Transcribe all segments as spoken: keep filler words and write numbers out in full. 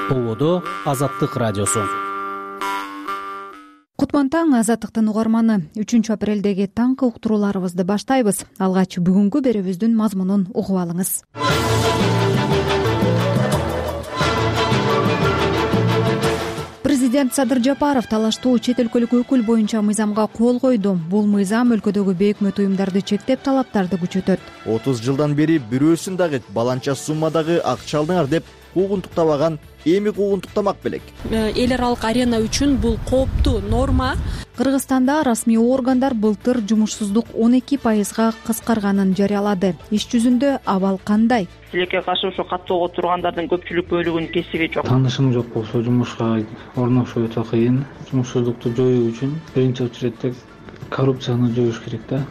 Болодо Азаттык радиосу. Кутман таң, Азаттыктын угарманы. үчүнчү апрелдеги таңкы уктурууларыбызды баштайбыз. Алгач бүгүнкү берүүбүздүн мазмунун угуп алыңыз. Президент Садыр Жапаров талаштуу чет өлкөлүк өкүл боюнча мыйзамга кол койду. Бул мыйзам өлкөдөгү бейөкмөт уюмдарды чектеп, талаптарды күчөтөт. отуз жылдан бери бирөөсүн дагы баланча суммадагы акча алдыңар деп куугунтуктабаган эми куугунтуктамак белек. Эл аралык арена үчүн бул кооптуу норма. Кыргызстанда расмий органдар былтыр жумушсуздук он эки пайызга кыскарганын жарыялады. Иш жүзүндө абал кандай? Тилекке каршы ошо каттоого тургандардын көпчүлүк бөлүгүнүн кесиби жок. Таанышым жок болсо жумушка орношуу өтө кыйын. Жумушсуздукту жоюу үчүн биринчи очередде коррупцияны жоюш керек да.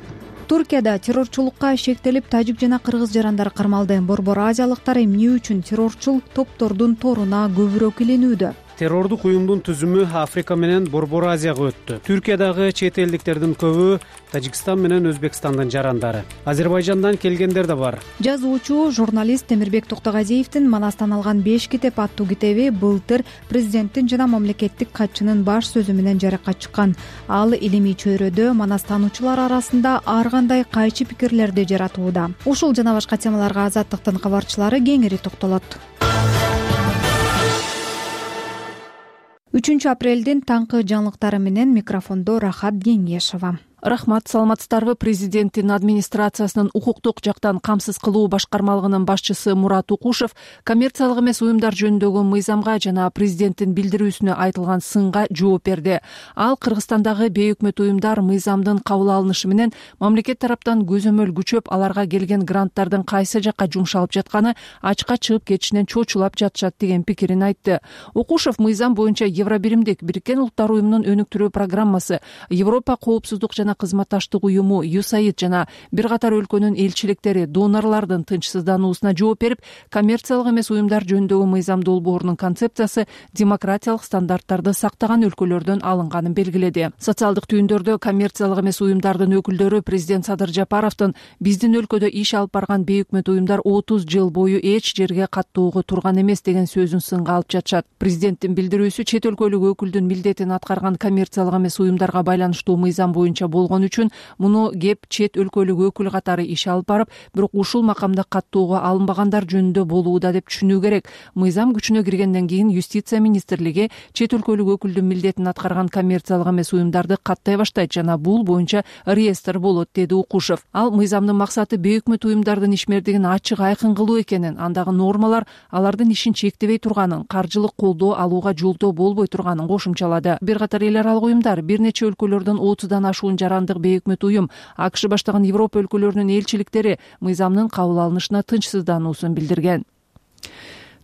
Туркияда террорчулукка шектелип, тажик жана кыргыз жарандар кармалды. Борбор азиялыктар эмне үчүн террорчул топтордун торуна көбүрөөк илинүүдө? Террордук уюмдун түзүмү Африка менен Борбор Азияга өттү. Түркиядагы чет элдиктердин көбү Тажикстан менен Өзбекстандын жарандары. Азербайжандан келгендер да бар. Жазуучу, журналист Темирбек Токтогазиевдин Манастан алган беш китеп аттуу китеби былтыр президенттин жана мамлекеттик катчынын баш сөзү менен жарыкка чыккан. Ал илимий чөйрөдө манастануучулар арасында ар кандай кайчы пикирлерди жаратууда. Ушул жана башка темаларга Азаттыктын кабарчылары кеңири токтолот. үчүнчү апрелдин таңкы жаңылыктары менен микрофондо Рахат Кеңешова. Рахмат, саламатсыздарбы? Президенттин администрациясынын укуктук жактан камсыз кылуу башкармалыгынын башчысы Мурат Укушев коммерциялык эмес уюмдар жөнүндөгү мыйзамга жана президенттин билдирүүсүнө айтылган сынга жооп берди. Ал Кыргызстандагы бейөкмөт уюмдар мыйзамдын кабыл алынышы менен мамлекет тараптан көзөмөл күчөп, аларга келген гранттардын кайсы жакка жумшалып жатканы ачка чыгып кетишинен чочулап жатышат деген пикирин айтты. Укушев мыйзам боюнча Евробиримдик Бириккен Улуттар уюмунун өнүктүрүү программасы, Европа коопсуздук жана кызматташтык уюму ю эс эй ай ди жана бир катар өлкөнүн элчиликтери донорлордун тынчсыздануусуна жооп берип, коммерциялык эмес уюмдар жөнүндөгү мыйзам долбоорунун концепциясы демократиялык стандарттарды сактаган өлкөлөрдөн алынганын белгиледи. Социалдык түйүндөрдө коммерциялык эмес уюмдардын өкүлдөрү президент Садыр Жапаровдун биздин өлкөдө иш алып барган бейөкмөт уюмдар отуз жыл бою эч жерге каттоого турган эмес деген сөзүн сынга алып жатышат. Президенттин билдирүүсү чет өлкөлүк өкүлдүн милдетин аткарган коммерциялык эмес уюмдарга байланыштуу мыйзам боюнча болгон үчүн муну кеп чет өлкөлүк өкүл катары иш алып барып, бирок ушул макамда каттоого алынбагандар жөнүндө болууда деп түшүнүү керек. Мыйзам күчүнө киргенден кийин юстиция министрлиги чет өлкөлүк өкүлдүн милдетин аткарган коммерциялык эмес уюмдарды каттай баштайт жана бул боюнча реестр болот, деди Укушев. Ал мыйзамдын максаты бейөкмөт уюмдардын ишмердигин ачык айкын кылуу экенин, андагы нормалар алардын ишин чектебей турганын, каржылык колдоо алууга жолдоо болбой турганын кошумчалады. Бир катар эл аралык уюмдар бир нече өлкөлөрдөн отуздан ашуун жарандык бейөкмөт уюм, АКШ баштаган Европа өлкөлөрүнүн элчиликтери мыйзамдын кабыл алынышына тынчсыздануусун билдирген.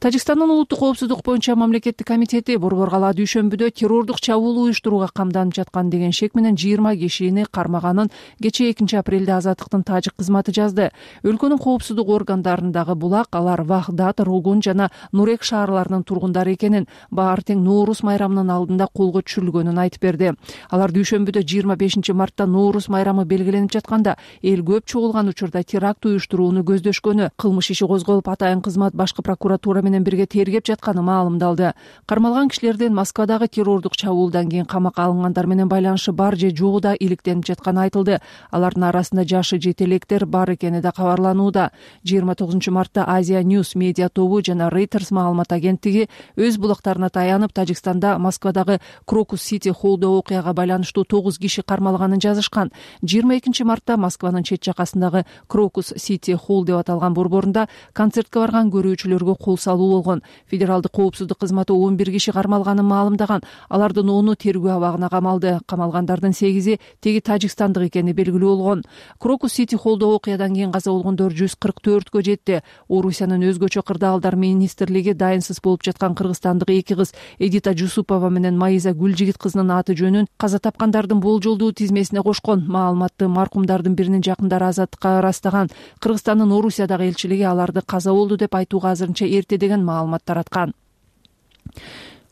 Тажикстандын улуттук коопсуздук боюнча мамлекеттик комитети Борбор калаа дүйшөмбүдө террордук чабуул уюштурууга камданып жаткан деген шек менен жыйырма кишини кармаганын кечээ экинчи апрелде Азаттыктын тажик кызматы жазды. Өлкөнүн коопсуздук органдарындагы булак алар Вахдат, Рогун жана Нурек шаарларынын тургундары экенин, баары тең Ноорус майрамынын алдында колго түшүрүлгөнүн айтып берди. Алар дүйшөмбүдө жыйырма бешинчи мартта Ноорус майрамы белгиленип жатканда эл көп чогулган учурда теракт уюштурууну көздөшкөнү, кылмыш иши козголуп атайын кызмат башкы прокуратура менен бирге тергеп жатканы маалымдалды. Кармалган кишилердин Москвадагы террордук чабуулдан кийин камакка алынгандар менен байланышы бар же жогу да иликтенип жатканы айтылды. Алардын арасында жашы жете электер бар экени да кабарланууда. жыйырма тогузунчу мартта Азия News медиа тобу жана Reuters маалымат агенттиги өз булактарына таянып, Тажикстанда Москвадагы Крокус Сити Холлдо окуяга байланыштуу тогуз киши кармалганын жазышкан. жыйырма экинчи мартта Москванын чет жакасындагы Крокус Сити Холл деп аталган борборунда концертке барган көрүүчүлөргө кол салуу болгон. Федералдык коопсуздук кызматы он бир киши кармалганын маалымдаган. Алардын ону тергөө абагына камалды. Камалгандардын сегизи теги тажикстандык экени белгилүү болгон. Крокус Сити Холлдо окуядан кийин каза болгондор жүз кырк төрткө жетти. Орусиянын өзгөчө кырдаалдар министрлиги дайынсыз болуп жаткан кыргызстандык эки кыз Эдита Жусупова менен Маиза Гүлжигит кызынын аты жөнүн каза тапкандардын болжолдуу тизмесине кошкон. Маалыматты маркумдардын биринин жакындары Азаттыкка ырастаган. Кыргызстандын Орусиядагы элчилиги аларды каза болду деп айтууга азырынча эрте деген маалымат тараткан.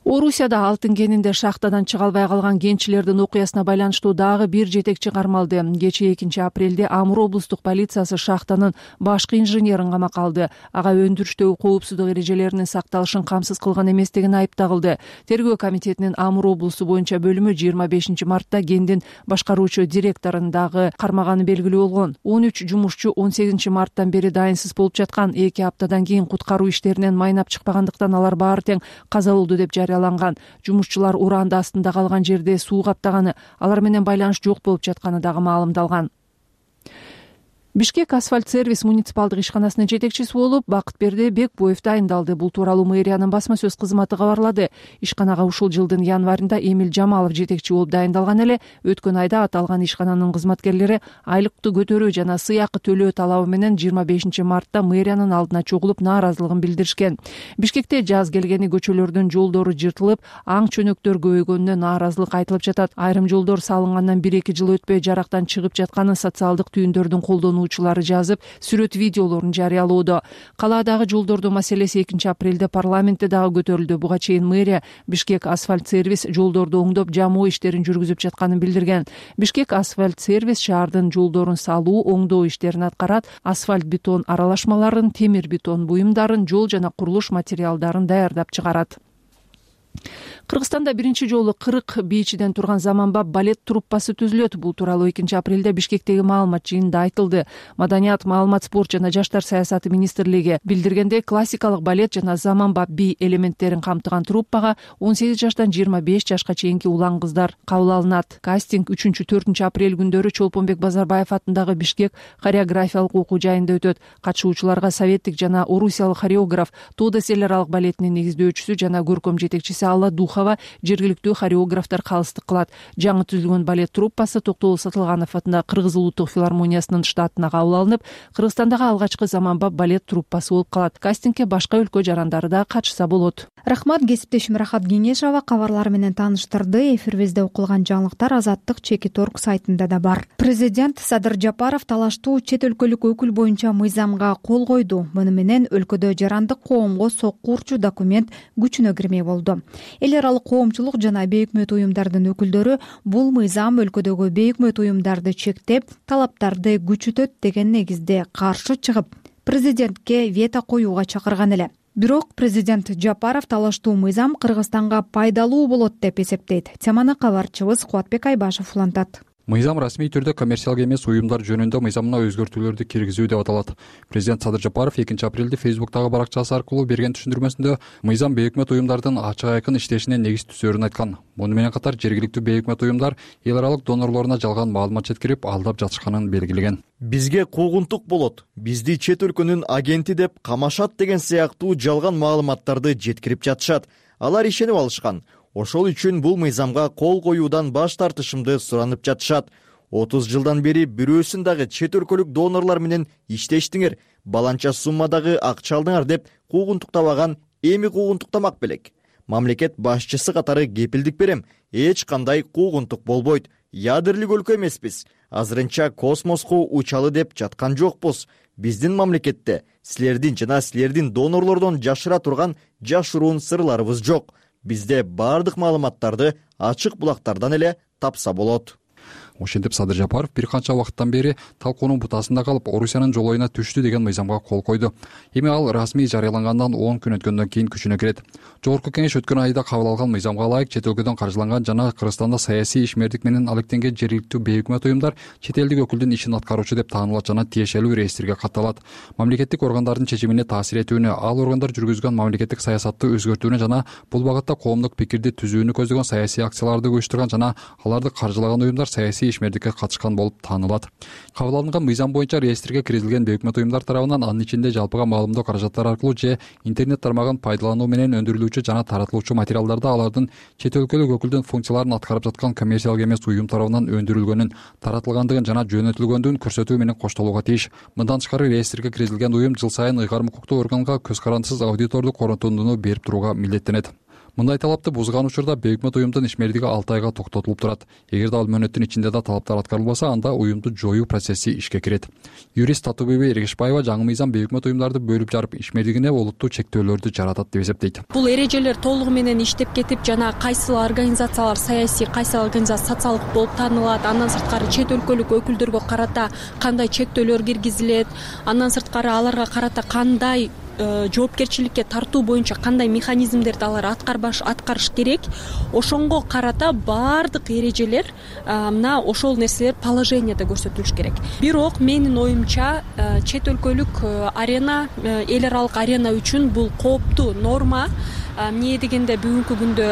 Орусияда алтын кенинде шахтадан чыга албай калган кенчилердин окуясына байланыштуу дагы бир жетекчи кармалды. Кечээ экинчи апрелде Амур облустук полициясы шахтанын башкы инженерин камакка алды. Ага өндүрүштөгү коопсуздук эрежелеринин сакталышын камсыз кылган эместигин айыптагылды. Тергөө комитетинин Амур облусу боюнча бөлүмү жыйырма бешинчи мартта кендин башкаруучу директорун дагы кармаганы белгилүү болгон. он үч жумушчу он сегизинчи марттан бери дайынсыз болуп жаткан. эки аптадан кийин куткаруу иштеринен майнап чыкпагандыктан алар баары тең каза болду деп жарыяланган. Жумушчулар уранды астында калган жерде суу каптаганы, алар менен байланыш жок болуп жатканы дагы маалымдалган. Бишкек асфальт сервис муниципалдык ишканасынын жетекчиси болуп Бакытберди Бекбоев дайындалды. Бул тууралуу мэриянын басма сөз кызматы кабарлады. Ишканага ушул жылдын январында Эмил Жамалов жетекчи болуп дайындалган эле. Өткөн айда аталган ишкананын кызматкерлери айлыкты көтөрүү жана сыйакы төлөө талабы менен жыйырма бешинчи мартта мэриянын алдына чогулуп нааразылыгын билдиришкен. Бишкекте жаз келгени көчөлөрдүн жолдору жыртылып, аң чөнөктөр көбөйгөнүнө нааразылык айтылып жатат. Айрым жолдор салынгандан бир эки жыл өтпөй жарактан чыгып жатканын социалдык түйүндөрдүн колдонуу жазып, сүрөт видеолорун жарыялоодо. Калаадагы жолдордун маселеси экинчи апрелде парламентте дагы көтөрүлдү. Буга чейин мэрия Бишкек асфальт сервис жолдорду оңдоп, жамоо иштерин жүргүзүп жатканын билдирген. Бишкек асфальт сервис шаардын жолдорун салуу, оңдоо иштерин аткарат, асфальт бетон аралашмаларын, темир бетон буюмдарын, жол жана курулуш материалдарын даярдап чыгарат. Кыргызстанда биринчи жолу кырк бийчиден турган заманбап балет труппасы түзүлөт. Бул тууралуу экинчи апрелде Бишкектеги маалымат жыйынында айтылды. Маданият, маалымат, спорт жана жаштар саясаты министрлиги билдиргендей, классикалык балет жана заманбап бий элементтерин камтыган труппага он сегиз жаштан жыйырма беш жашка чейинки улан кыздар кабыл алынат. Кастинг үчүнчү төртүнчү апрель күндөрү Чолпонбек Базарбаев атындагы Бишкек хореографиялык окуу жайында өтөт. Катышуучуларга советтик жана орусиялык хореограф, Тодос эл аралык балетинин негиздөөчүсү жана көркөм жетекчиси Алла Духова жергиликтүү хореографтар калыстык кылат. Жаңы түзүлгөн балет труппасы Токтогул Сатылганов атындагы Кыргыз улуттук филармониясынын штатына кабыл алынып, Кыргызстандагы алгачкы заманбап балет труппасы болуп калат. Кастингге башка өлкө жарандары да катышса болот. Рахмат, кесиптешим Рахат Кеңешова кабарлар менен тааныштырды. Эфирибизде окулган жаңылыктар Азаттык чекит орг сайтында да бар. Президент Садыр Жапаров талаштуу чет өлкөлүк өкүл боюнча мыйзамга кол койду. Муну менен өлкөдө жарандык коомго сокку урчу документ күчүнө кирмей болду. Эл аралык коомчулук жана бейөкмөт уюмдардын өкүлдөрү бул мыйзам өлкөдөгү бейөкмөт уюмдарды чектеп, талаптарды күчөтөт деген негизде каршы чыгып, президентке вето коюуга чакырган эле. Бирок президент Жапаров талаштуу мыйзам Кыргызстанга пайдалуу болот деп эсептейт. Теманы кабарчыбыз Кубатбек Айбашев улантат. Мыйзам расмий түрдө коммерциялык эмес уюмдар жөнүндө мыйзамына өзгөртүүлөрдү киргизүү деп аталат. Президент Садыр Жапаров экинчи апрелде Фейсбуктагы баракчасы аркылуу берген түшүндүрмөсүндө мыйзам бейөкмөт уюмдардын ачык айкын иштешине негиз түзөрүн айткан. Муну менен катар жергиликтүү бейөкмөт уюмдар эл аралык донорлоруна жалган маалымат жеткирип, алдап жатышканын белгилеген. Бизге куугунтук болот, бизди чет өлкөнүн агенти деп камашат деген сыяктуу жалган маалыматтарды жеткирип жатышат. Алар ишенип алышкан. Ошол үчүн бул мыйзамга кол коюудан баш тартышымды суранып жатышат. отуз жылдан бери бирөөсүн дагы чет өлкөлүк донорлор менен иштештиңер, баланча суммадагы акча алдыңар деп куугунтуктабаган, эми куугунтуктамак белек. Мамлекет башчысы катары кепилдик берем, эч кандай куугунтук болбойт. Ядерлик өлкө эмеспиз. Азырынча космоско учалы деп жаткан жокпуз. Биздин мамлекетте силердин жана силердин донорлордон жашыра турган жашыруун сырларыбыз жок. Бизде бардык маалыматтарды ачык булактардан эле тапса болот. Ошентип Садыр Жапаров бир канча убакыттан бери талкуунун бутасында калып, Орусиянын жолоюна түштү деген мыйзамга кол койду. Эми ал расмий жарыялангандан он күн өткөндөн кийин күчүнө кирет. Жогорку кеңеш өткөн айда кабыл алган мыйзамга ылайык чет өлкөдөн каржыланган жана Кыргызстанда саясий ишмердик менен алектенген жергиликтүү бейөкмөт уюмдар чет элдик өкүлдүн ишин аткаруучу деп таанылат жана тиешелүү реестрге катталат. Мамлекеттик органдардын чечимине таасир этүүнү, ал органдар жүргүзгөн мамлекеттик саясатты өзгөртүүнү жана бул багытта коомдук пикирди түзүүнү көздөгөн саясий акцияларды уюштурган жана аларды каржылаган уюмдар саясий ишмердикке катышкан болуп таанылат. Кабыл алынган мыйзам боюнча реестрге киргизилген бейөкмөт уюмдар тарабынан анын ичинде жалпыга маалымдоо каражаттары аркылуу же интернет тармагын пайдалануу менен өндүрүлүүчү жана таратылуучу материалдарда алардын чет өлкөлүк өкүлдүн функцияларын аткарып жаткан коммерциялык эмес уюм тарабынан өндүрүлгөнүн, таратылгандыгын жана жөнөтүлгөндүгүн көрсөтүү менен коштолууга тийиш. Мындан тышкары реестрге киргизилген уюм жыл сайын ыйгарым укуктуу органга көз карандысыз аудитордук корутундуну берип турууга милдеттенет. мындай талапты бузган учурда бейөкмөт уюмдун ишмердиги алты айга токтотулуп турат. Эгерде ал мөөнөттүн ичинде да талаптар аткарылбаса, анда уюмду жоюу процесси ишке кирет. Юрист Татуубеби Эргешбаева жаңы мыйзам бейөкмөт уюмдарды бөлүп жарып, ишмердигине олуттуу чектөөлөрдү жаратат деп эсептейт. Бул эрежелер толугу менен иштеп кетип, жана кайсыл организациялар саясий, кайсыл организация социалдык болуп таанылат, андан сырткары чет өлкөлүк өкүлдөргө карата кандай чектөөлөр киргизилет, андан сырткары аларга карата кандай жоопкерчиликке тартуу боюнча кандай механизмдерди алар аткарбаш аткарыш керек, ошонго карата баардык эрежелер мына ошол нерселер положенияда көрсөтүлүш керек. Бирок менин оюмча чет өлкөлүк арена, эл аралык арена үчүн бул кооптуу норма. Эмне дегенде бүгүнкү күндө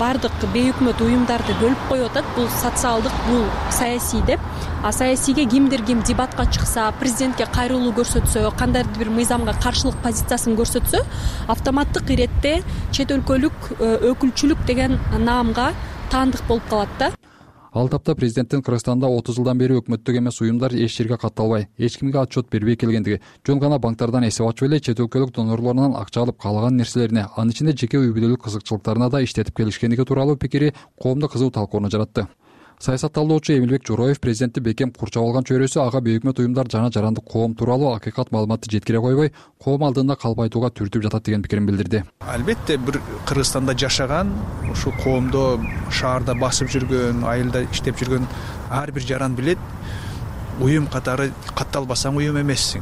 баардык бейөкмөт уюмдарды бөлүп коюп атат. Бул социалдык, бул саясий деп. А саясийге кимдир ким дебатка чыкса, президентке кайрылуу көрсөтсө, кандайдыр бир мыйзамга каршылык позициясын көрсөтсө, автоматтык иретте чет өлкөлүк өкүлчүлүк деген наамга таандык болуп калат да. Ал тапта президенттин Кыргызстанда отуз жылдан бери өкмөттүк эмес уюмдар эч жерге катталбай, эч кимге отчет бербей келгендиги, жөн гана банктардан эсеп ачып эле чет өлкөлүк донорлорунан акча алып каалаган нерселерине, анын ичинде жеке үй бүлөлүк кызыкчылыктарына да иштетип келишкендиги тууралуу пикири коомдо кызуу талкууну жаратты. Саясатталуучу Эмилбек Жороев президентти бекем курчап алган чөйрөсү ага бейөкмөт уюмдар жана жарандык коом тууралуу акыйкат маалыматты жеткире койбой, коом алдында калп айтууга түртүп жатат деген пикирин билдирди. Албетте бир Кыргызстанда жашаган, ушул коомдо шаарда басып жүргөн, айылда иштеп жүргөн ар бир жаран билет, уюм катары катталбасаң уюм эмессиң.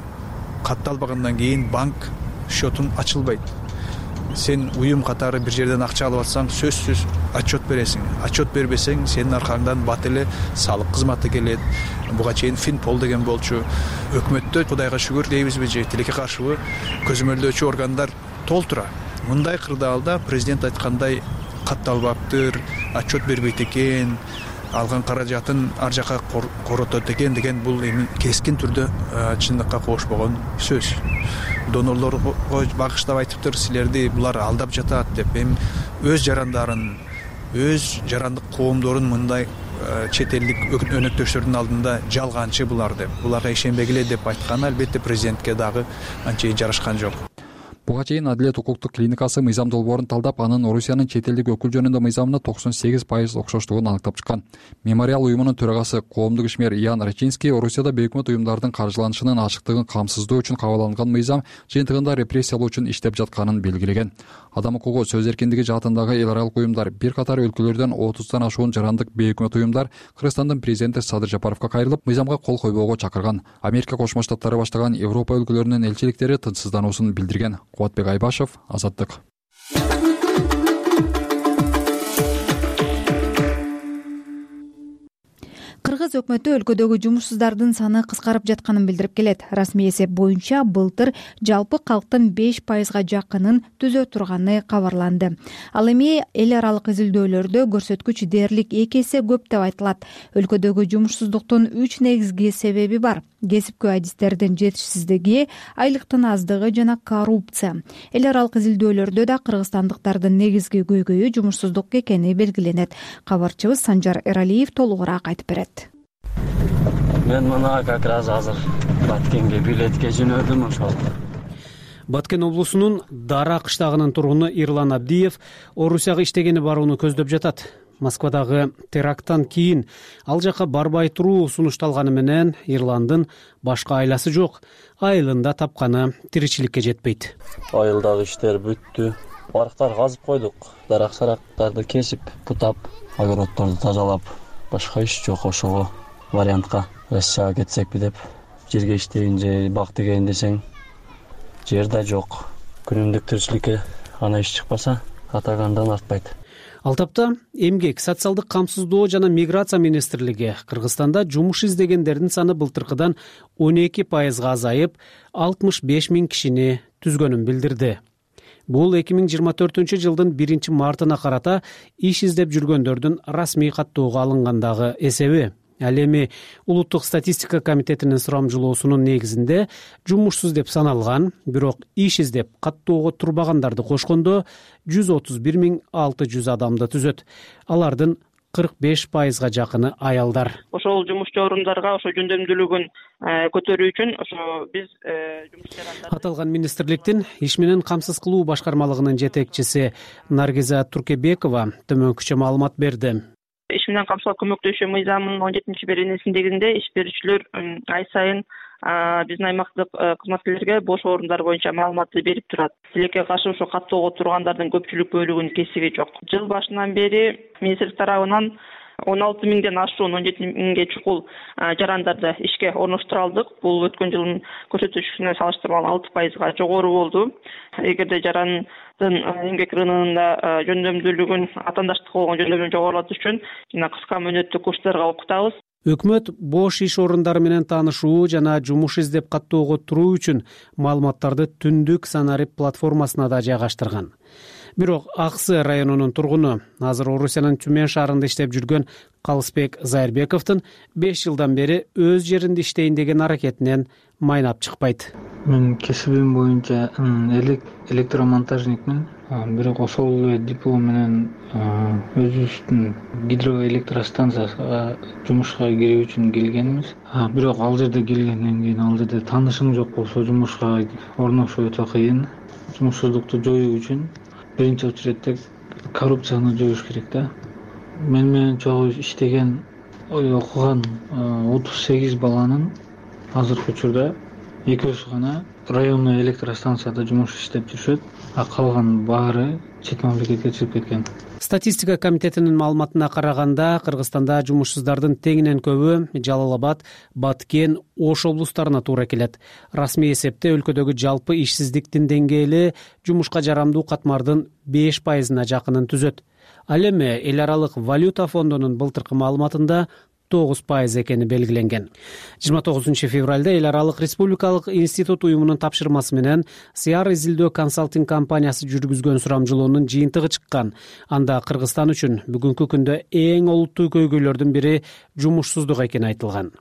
Катталбагандан кийин банк счетуң ачылбайт. Сен уюм катары бир жерден акча алып атсаң, сөзсүз отчет бересиң. Отчет бербесең, сенин аркаңдан бат эле салык кызматы келет. Буга чейин Финпол деген болчу. Өкмөттө Кудайга шүгүр дейбизби же тилекке каршыбы көзөмөлдөөчү органдар толтура. Мындай кырдаалда президент айткандай катталбаптыр, отчет бербейт экен, алган каражатын ар жака коротот экен деген бул эми кескин түрдө чындыкка кошпогон сөз. Донорлорго багыштап айтыптыр, силерди булар алдап жатат деп. Эми өз жарандарын, өз жарандык коомдорун мындай чет элдик өнөктөштөрдүн алдында жалганчы булар деп, буларга ишенбегиле деп айтканы албетте президентке дагы анчейин жарашкан жок. Буга чейин Адилет укуктук клиникасы мыйзам долбоорун талдап, анын Орусиянын чет элдик өкүл жөнүндө мыйзамына токсон сегиз пайыз окшоштугун аныктап чыккан. Мемориал уюмунун төрагасы, коомдук ишмер Ян Рачинский Орусияда бейөкмөт уюмдардын каржыланышынын ачыктыгын камсыздоо үчүн кабыл алынган мыйзам жыйынтыгында репрессиялоо үчүн иштеп жатканын белгилеген. Адам укугу, сөз эркиндиги жаатындагы эл аралык уюмдар, бир катар өлкөлөрдөн отуздан ашуун жарандык бейөкмөт уюмдар Кыргызстандын президенти Садыр Жапаровго кайрылып, мыйзамга кол койбоого чакырган. Америка Кошмо Штаттары баштаган Европа өлкөлөрүнүн элчиликтери тынчсыздануусун билдирген. Кубатбек Айбашев, Азаттык. Кыргыз өкмөтү өлкөдөгү жумушсуздардын саны кыскарып жатканын билдирип келет. Расмий эсеп боюнча былтыр жалпы калктын беш пайызга жакынын түзө турганы кабарланды. Ал эми эл аралык изилдөөлөрдө көрсөткүч дээрлик эки эсе көп деп айтылат. Өлкөдөгү жумушсуздуктун үч негизги себеби бар: кесипкөй адистердин жетишсиздиги, айлыктын аздыгы жана коррупция. Эл аралык изилдөөлөрдө да кыргызстандыктардын негизги көйгөйү жумушсуздук экени белгиленет. Кабарчыбыз Санжар Эралиев толугураак айтып берет. Мен мына как раз азыр Баткенге билетке жөнөдүм ошол. Баткен облусунун Дара кыштагынын тургуну Ирлан Абдиев Орусияга иштегени барууну көздөп жатат. Москвадагы теракттан кийин ал жака барбай туруу сунушталганы менен Ирландын башка айласы жок. Айылында тапканы тиричиликке жетпейт. Айылдагы иштер бүттү. Барыктар казып койдук. Дарак-сарактарды кесип, бутап, огороддорду тазалап, башка иш жок. Ошого вариантка Россияга кетсекпи деп, жерге иштейин же бак тегейин десең, жер да жок. Күнүмдүк тиричиликке ана иш чыкпаса, атагандан артпайт. Ал тапта эмгек, социалдык камсыздоо жана миграция министрлиги Кыргызстанда жумуш издегендердин саны былтыркыдан он эки пайызга азайып, алтымыш беш миң кишини түзгөнүн билдирди. Бул эки миң жыйырма төртүнчү жылдын биринчи мартына карата иш издеп жүргөндөрдүн расмий каттоого алынгандагы эсеби. Ал эми Улуттук статистика комитетинин сурамжылоосунун негизинде жумушсуз деп саналган, бирок иш издеп каттоого турбагандарды кошкондо жүз отуз бир миң алты жүз адамды түзөт. Алардын кырк беш пайызга жакыны аялдар. Ошол жумушчу орундарга ошо жөндөмдүүлүгүн көтөрүү үчүн ошо биз жумуш жарандары. Аталган министрликтин иш менен камсыз кылуу башкармалыгынын жетекчиси Наргиза Туркебекова төмөнкүчө маалымат берди. Иш менен камсыздыкка көмөктөшүү мыйзамынын он жетинчи беренеси негизинде иш берүүчүлөр ай сайын биздин аймактык кызматкерлерге бош орундар боюнча маалыматты берип турат. Тилекке каршы ошо каттоого тургандардын көпчүлүк бөлүгүнүн кесиби жок. Жыл башынан бери министрлик тарабынан он алты миңден ашуун он жети миңге чукул жарандарды ишке орноштура алдык. Бул өткөн жылдын көрсөтүшүнө салыштырмалуу алты пайызга жогору болду. Эгерде жарандын эмгек рыногунда жөндөмдүүлүгүн, атаандаштыкка болгон жөндөмдүүлүгүн жогорулатыш үчүн жана кыска мөөнөттүү курстарга окутабыз. Өкмөт бош иш орундары менен таанышуу жана жумуш издеп каттоого туруу үчүн маалыматтарды түндүк Санарип платформасына да жайгаштырган. Бирок Аксы районунун тургуну, азыр Орусиянын Түмен шаарында иштеп жүргөн Калысбек Зайырбековдун беш жылдан бери өз жеринде иштейин деген аракетинен майнап чыкпайт. Мен кесибим боюнча электромонтажникмин. Бирок ошол эле диплом менен өзүбүздүн гидроэлектростанцияга жумушка кирүү үчүн келгенбиз. Бирок ал жерде келгенден кийин ал жерде таанышым жок болсо жумушка орношуу өтө кыйын. Жумушсуздукту жоюу үчүн биринчи очередте коррупцияны жоюш керек да. Мен менен чогуу иштеген, окуган отуз сегиз баланын азыркы учурда экөөсү гана районный электростанцияда жумуш иштеп жүрүшөт, а калган баары чет мамлекетке чыгып кеткен. Статистика комитетинин маалыматына караганда, Кыргызстанда жумушсуздардын теңинен көбү Жалал Абад, Баткен, Ош облустарына туура келет. Расмий эсепте өлкөдөгү жалпы ишсиздиктин деңгээли жумушка жарамдуу катмардын беш пайызына жакынын түзөт. Ал эми эл аралык валюта фондунун былтыркы маалыматында тогуз пайыз экени белгиленген. жыйырма тогузунчу февралда эл аралык республикалык институт уюмунун тапшырмасы менен Сиар изилдөө консалтинг компаниясы жүргүзгөн сурамжылоонун жыйынтыгы чыккан. Анда Кыргызстан үчүн бүгүнкү күндө эң олуттуу көйгөйлөрдүн бири жумушсуздук экени айтылган.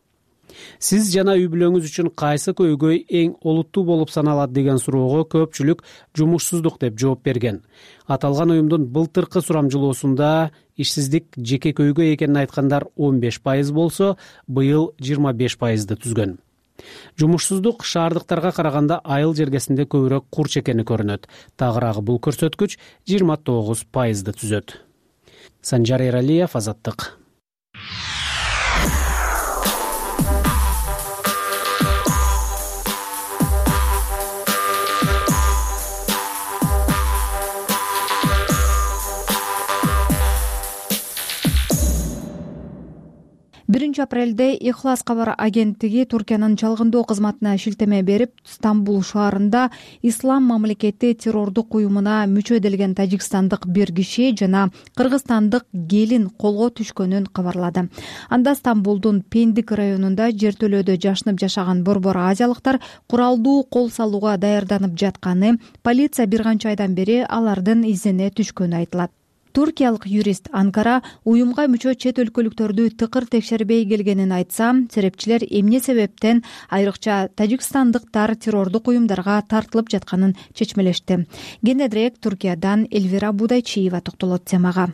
Сиз жана үй бүлөңүз үчүн кайсы көйгөй эң олуттуу болуп саналат деген суроого көпчүлүк жумушсуздук деп жооп берген. Аталган уюмдун былтыркы сурамжылоосунда ишсиздик жеке көйгөй экенин айткандар он беш пайыз болсо, быйыл жыйырма беш пайызды түзгөн. Жумушсуздук шаардыктарга караганда айыл жергесинде көбүрөөк курч экени көрүнөт. Тагыраагы бул көрсөткүч жыйырма тогуз пайызды түзөт. Санжар Эралиев, Азаттык. биринчи апрелде Ихлас кабар агенттиги Туркиянын чалгындоо кызматына шилтеме берип, Стамбул шаарында Ислам мамлекети террордук уюмуна мүчө эделген тажикстандык бир киши жана кыргызстандык келин колго түшкөнүн кабарлады. Анда Стамбулдун Пендик районунда жертөлөөдө жашынып жашаган борбор азиялыктар куралдуу кол салууга даярданып жатканы, полиция бир канча айдан бери алардын изине түшкөнү айтылат. Туркиялык юрист Анкара уюмга мүчө чет өлкөлүктөрдү тыкыр текшербей келгенин айтса, серепчилер эмне себептен айрыкча тажикстандыктар террордук уюмдарга тартылып жатканын чечмелешти. Кененирээк Туркиядан Эльвира Будайчиева токтолот темага.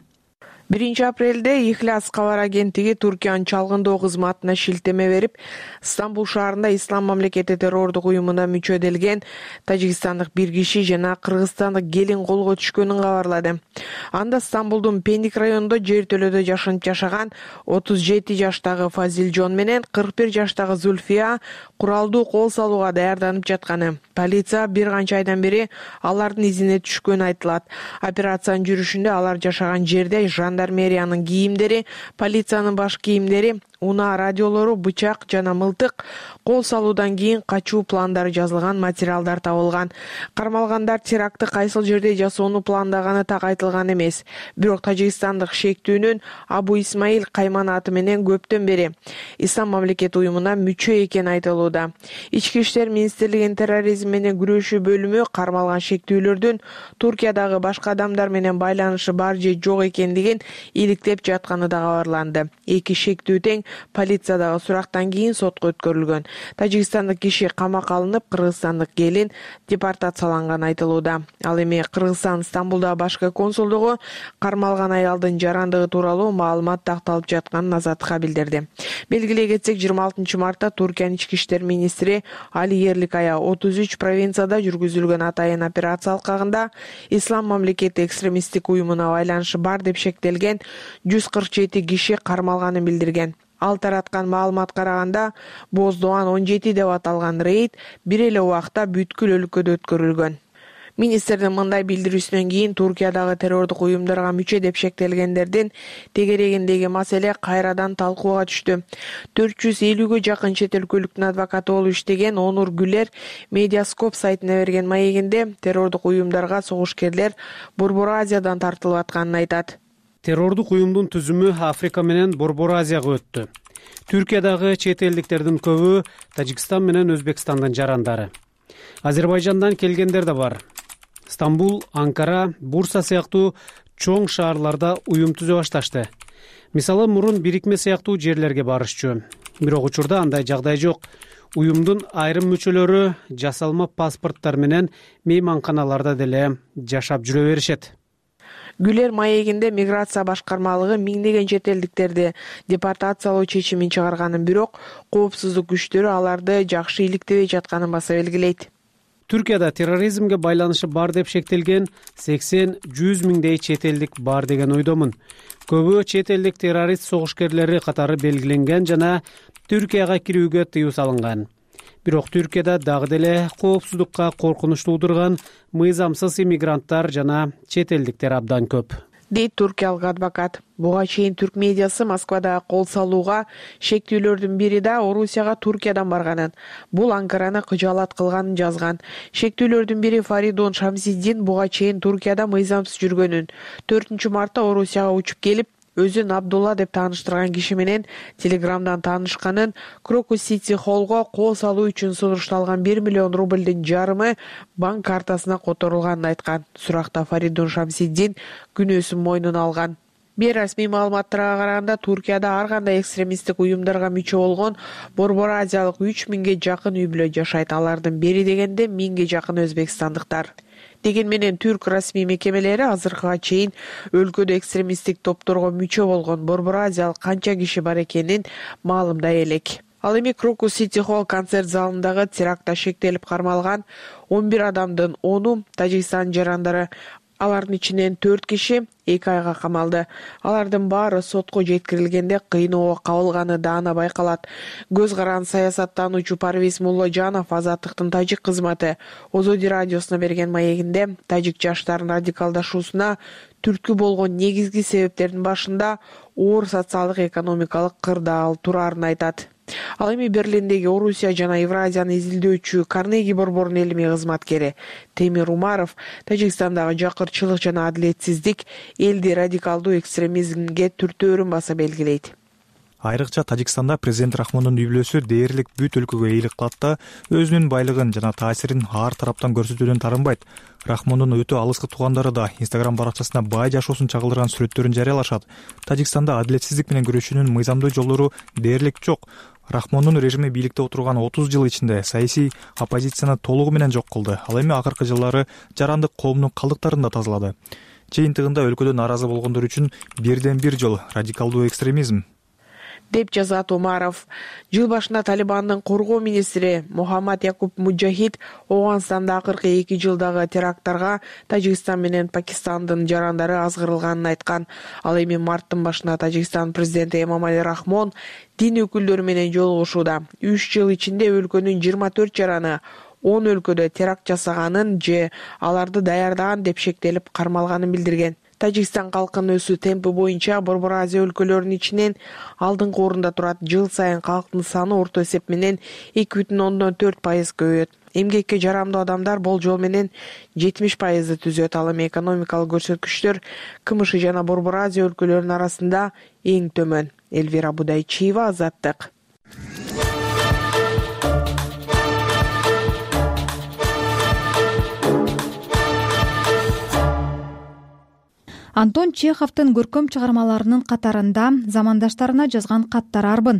биринчи апрелде Ихлас кабар агенттиги Туркиянын чалгындоо кызматына шилтеме берип, Стамбул шаарында Ислам мамлекети террордук уюмуна мүчө эделген тажикстандык бир киши жана кыргызстандык келин колго түшкөнүн кабарлады. Анда Стамбулдун Пендик районунда жертөлөөдө жашынып жашаган отуз жети жаштагы Фазилжон менен кырк бир жаштагы Зульфия куралдуу кол салууга даярданып жатканы. Полиция бир канча айдан бери алардын изине түшкөнү айтылат. Операциянын жүрүшүндө алар жашаган жерде жандармериянын кийимдери, полициянын баш кийимдери, унаа радиолору, бычак жана мылтык, кол салуудан кийин качуу пландары жазылган материалдар табылган. Кармалгандар терактты кайсыл жерде жасоону пландаганы так айтылган эмес. Бирок тажикстандык шектүүнүн Абу Исмаил Кайман аты менен көптөн бери Ислам мамлекети уюмуна мүчө экени айтылууда. Ички иштер министрлигинин терроризм менен күрөшүү бөлүмү кармалган шектүүлөрдүн Туркиядагы башка адамдар менен байланышы бар же жок экендигин иликтеп жатканы да кабарланды. Эки шектүү тең полициядагы сурактан кийин сотко өткөрүлгөн. Тажикстандык киши камакка алынып, кыргызстандык келин депортацияланганы айтылууда. Ал эми Кыргызстан Стамбулдагы башкы консулдугу кармалган аялдын жарандыгы тууралуу маалымат такталып жатканын Азаттыкка билдирди. Белгилей кетсек, жыйырма алтынчы мартта Туркиянын ички иштер министри Али Ерликая отуз үч провинцияда жүргүзүлгөн атайын операция алкагында Ислам мамлекети экстремисттик уюмуна байланышы бар деп шектелген жүз кырк жети киши кармалганын билдирген. Ал тараткан маалыматка караганда, Боздоан он жети деп аталган рейд бир эле убакта бүткүл өлкөдө өткөрүлгөн. Министрдин мындай билдирүүсүнөн кийин Туркиядагы террордук уюмдарга мүчө деп шектелгендердин тегерегиндеги маселе кайрадан талкууга түштү. төрт жүз элүүгө жакын чет өлкөлүктүн адвокаты болуп иштеген Онур Гүлер Медиаскоп сайтына берген маегинде террордук уюмдарга согушкерлер Борбор Азиядан тартылып атканын айтат. Террордук уюмдун түзүмү Африка менен Борбор Азияга өттү. Түркиядагы чет элдиктердин көбү Тажикстан менен Өзбекстандын жарандары. Азербайжандан келгендер да бар. Стамбул, Анкара, Бурса сыяктуу чоң шаарларда уюм түзө башташты. Мисалы, мурун бирикме сыяктуу жерлерге барышчу. Бирок учурда андай жагдай жок. Уюмдун айрым мүчөлөрү жасалма паспорттор менен мейманканаларда деле жашап жүрө беришет. Гүлер маегинде миграция башкармалыгы миңдеген чет элдиктерди депортациялоо чечимин чыгарганын, бирок коопсуздук күчтөрү аларды жакшы иликтебей жатканын баса белгилейт. Түркияда терроризмге байланышы бар деп шектелген сексен жүз миңдей чет элдик бар деген ойдомун. Көбү чет элдик террорист согушкерлери катары белгиленген жана Түркияга кирүүгө тыюу салынган. Бирок Түркияда дагы деле коопсуздукка коркунуч туудурган мыйзамсыз иммигранттар жана чет элдиктер абдан көп, дейт туркиялык адвокат. Буга чейин түрк медиасы Москвада кол салууга шектүүлөрдүн бири да Орусияга Туркиядан барганын, бул Анкараны кыжаалат кылганын жазган. Шектүүлөрдүн бири Фаридун Шамсиддин буга чейин Туркияда мыйзамсыз жүргөнүн, төртүнчү мартта Орусияга учуп келип, өзүн Абдулла деп тааныштырган киши менен Телеграмдан таанышканын, Крокус Сити Холлго кол салуу үчүн сунушталган бир миллион рублдун жарымы банк картасына которулганын айткан. Суракта Фаридун Шамсиддин күнөөсүн мойнуна алган. Бейрасмий маалыматтарга караганда, Туркияда ар кандай экстремисттик уюмдарга мүчө болгон Борбор Азиялык үч миңге жакын үй бүлө жашайт. Алардын бери дегенде миңге жакын өзбекстандыктар. Деген менен түрк расмий мекемелери азыркыга чейин өлкөдө экстремисттик топторго мүчө болгон Борбор Азиялык канча киши бар экенин маалымдай элек. Ал эми Крокус Сити Холл концерт залындагы терактта шектелип кармалган он бир адамдын ону Тажикстан жарандары. Алардын ичинен төрт киши эки айга камалды. Алардын баары сотко жеткирилгенде кыйноого кабылганы даана байкалат. Көз каран саясаттануучу Парвиз Мулложанов Азаттыктын тажик кызматы Озоди радиосуна берген маегинде тажик жаштарынын радикалдашуусуна түрткү болгон негизги себептердин башында оор социалдык экономикалык кырдаал турарын айтат. Ал эми Берлиндеги Орусия жана Евразияны изилдөөчү Карнеги борборунун илимий кызматкери Темир Умаров Тажикстандагы жакырчылык жана адилетсиздик элди радикалдуу экстремизмге түртөөрүн баса белгилейт. Айрыкча Тажикстанда президент Рахмондун үй бүлөсү дээрлик бүт өлкөгө ыйлык кылат да, өзүнүн байлыгын жана таасирин ар тараптан көрсөтүүдөн тарынбайт. Рахмондун өтө алыскы туугандары да Инстаграм баракчасына бай жашоосун чагылдырган сүрөттөрүн жарыялашат. Тажикстанда адилетсиздик менен күрөшүүнүн мыйзамдуу жолдору дээрлик жок. Рахмондун режими бийликте отурган отуз жыл ичинде саясий оппозицияны толугу менен жок кылды. Ал эми акыркы жылдары жарандык коомдун калдыктарын да тазалады. Жыйынтыгында өлкөдө нааразы болгондор үчүн бирден бир жол радикалдуу экстремизм, деп жазат Умаров. Жыл башында Талибандын коргоо министри Мухаммад Якуб Муджахид Оганстанда акыркы эки жылдагы теракттарга Тажикстан менен Пакистандын жарандары азгырылганын айткан. Ал эми марттын башында Тажикстан президенти Эмомали Рахмон дин өкүлдөрү менен жолугушууда. үч жыл ичинде өлкөнүн жыйырма төрт жараны он өлкөдө теракт жасаганын же аларды даярдаган деп шектелип кармалганын билдирген. Тажикстан калкынын өсүү темпи боюнча Борбор Азия өлкөлөрүнүн ичинен алдыңкы орунда турат. Жыл сайын калктын саны орто эсеп менен эки бүтүн ондон төрт пайыз көбөйөт. Эмгекке жарамдуу адамдар болжол менен жетимиш пайызды түзөт. Ал эми экономикалык көрсөткүчтөр КМШ жана Борбор Азия өлкөлөрүнүн арасында эң төмөн. Элвира Будайчиева, Азаттык. Антон Чеховдун көркөм чыгармаларынын катарында замандаштарына жазган каттары арбын.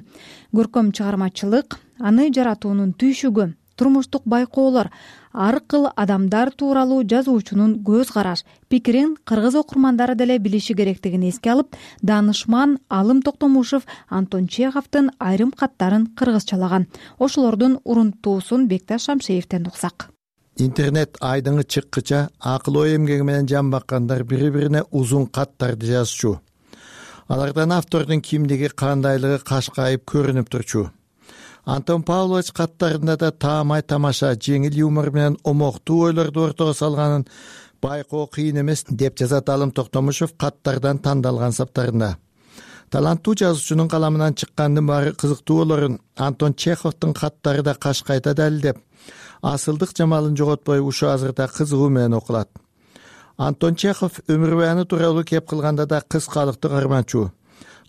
Көркөм чыгармачылык аны жаратуунун түйшүгү, турмуштук байкоолор, ар кыл адамдар тууралуу жазуучунун көз караш, пикирин кыргыз окурмандары деле билиши керектигин эске алып, даанышман Алым Токтомушев Антон Чеховдун айрым каттарын кыргызчалаган. Ошолордун урунтуусун Бекташ Шамшеевден уксак. Интернет айдыңы чыккыча акыл ой эмгеги менен жан баккандар бири-бирине узун каттарды жазчу. Алардан автордун кимдиги, кандайлыгы кашкайып көрүнүп турчу. Антон Павлович каттарында да таамай тамаша, жеңил юмор менен омоктуу ойлорду ортого салганын байкоо кыйын эмес деп жазат Алым Токтомушев каттардан тандалган саптарында. Таланттуу жазуучунун каламынан чыккандын баары кызыктуу болорун Антон Чеховдун каттары да кашкайта далилдеп, асылдык жамалын жоготпой ушу азырда кызыгуу менен окулат. Антон Чехов өмүр баяны тууралуу кеп кылганда да кыскалыкты карманчу.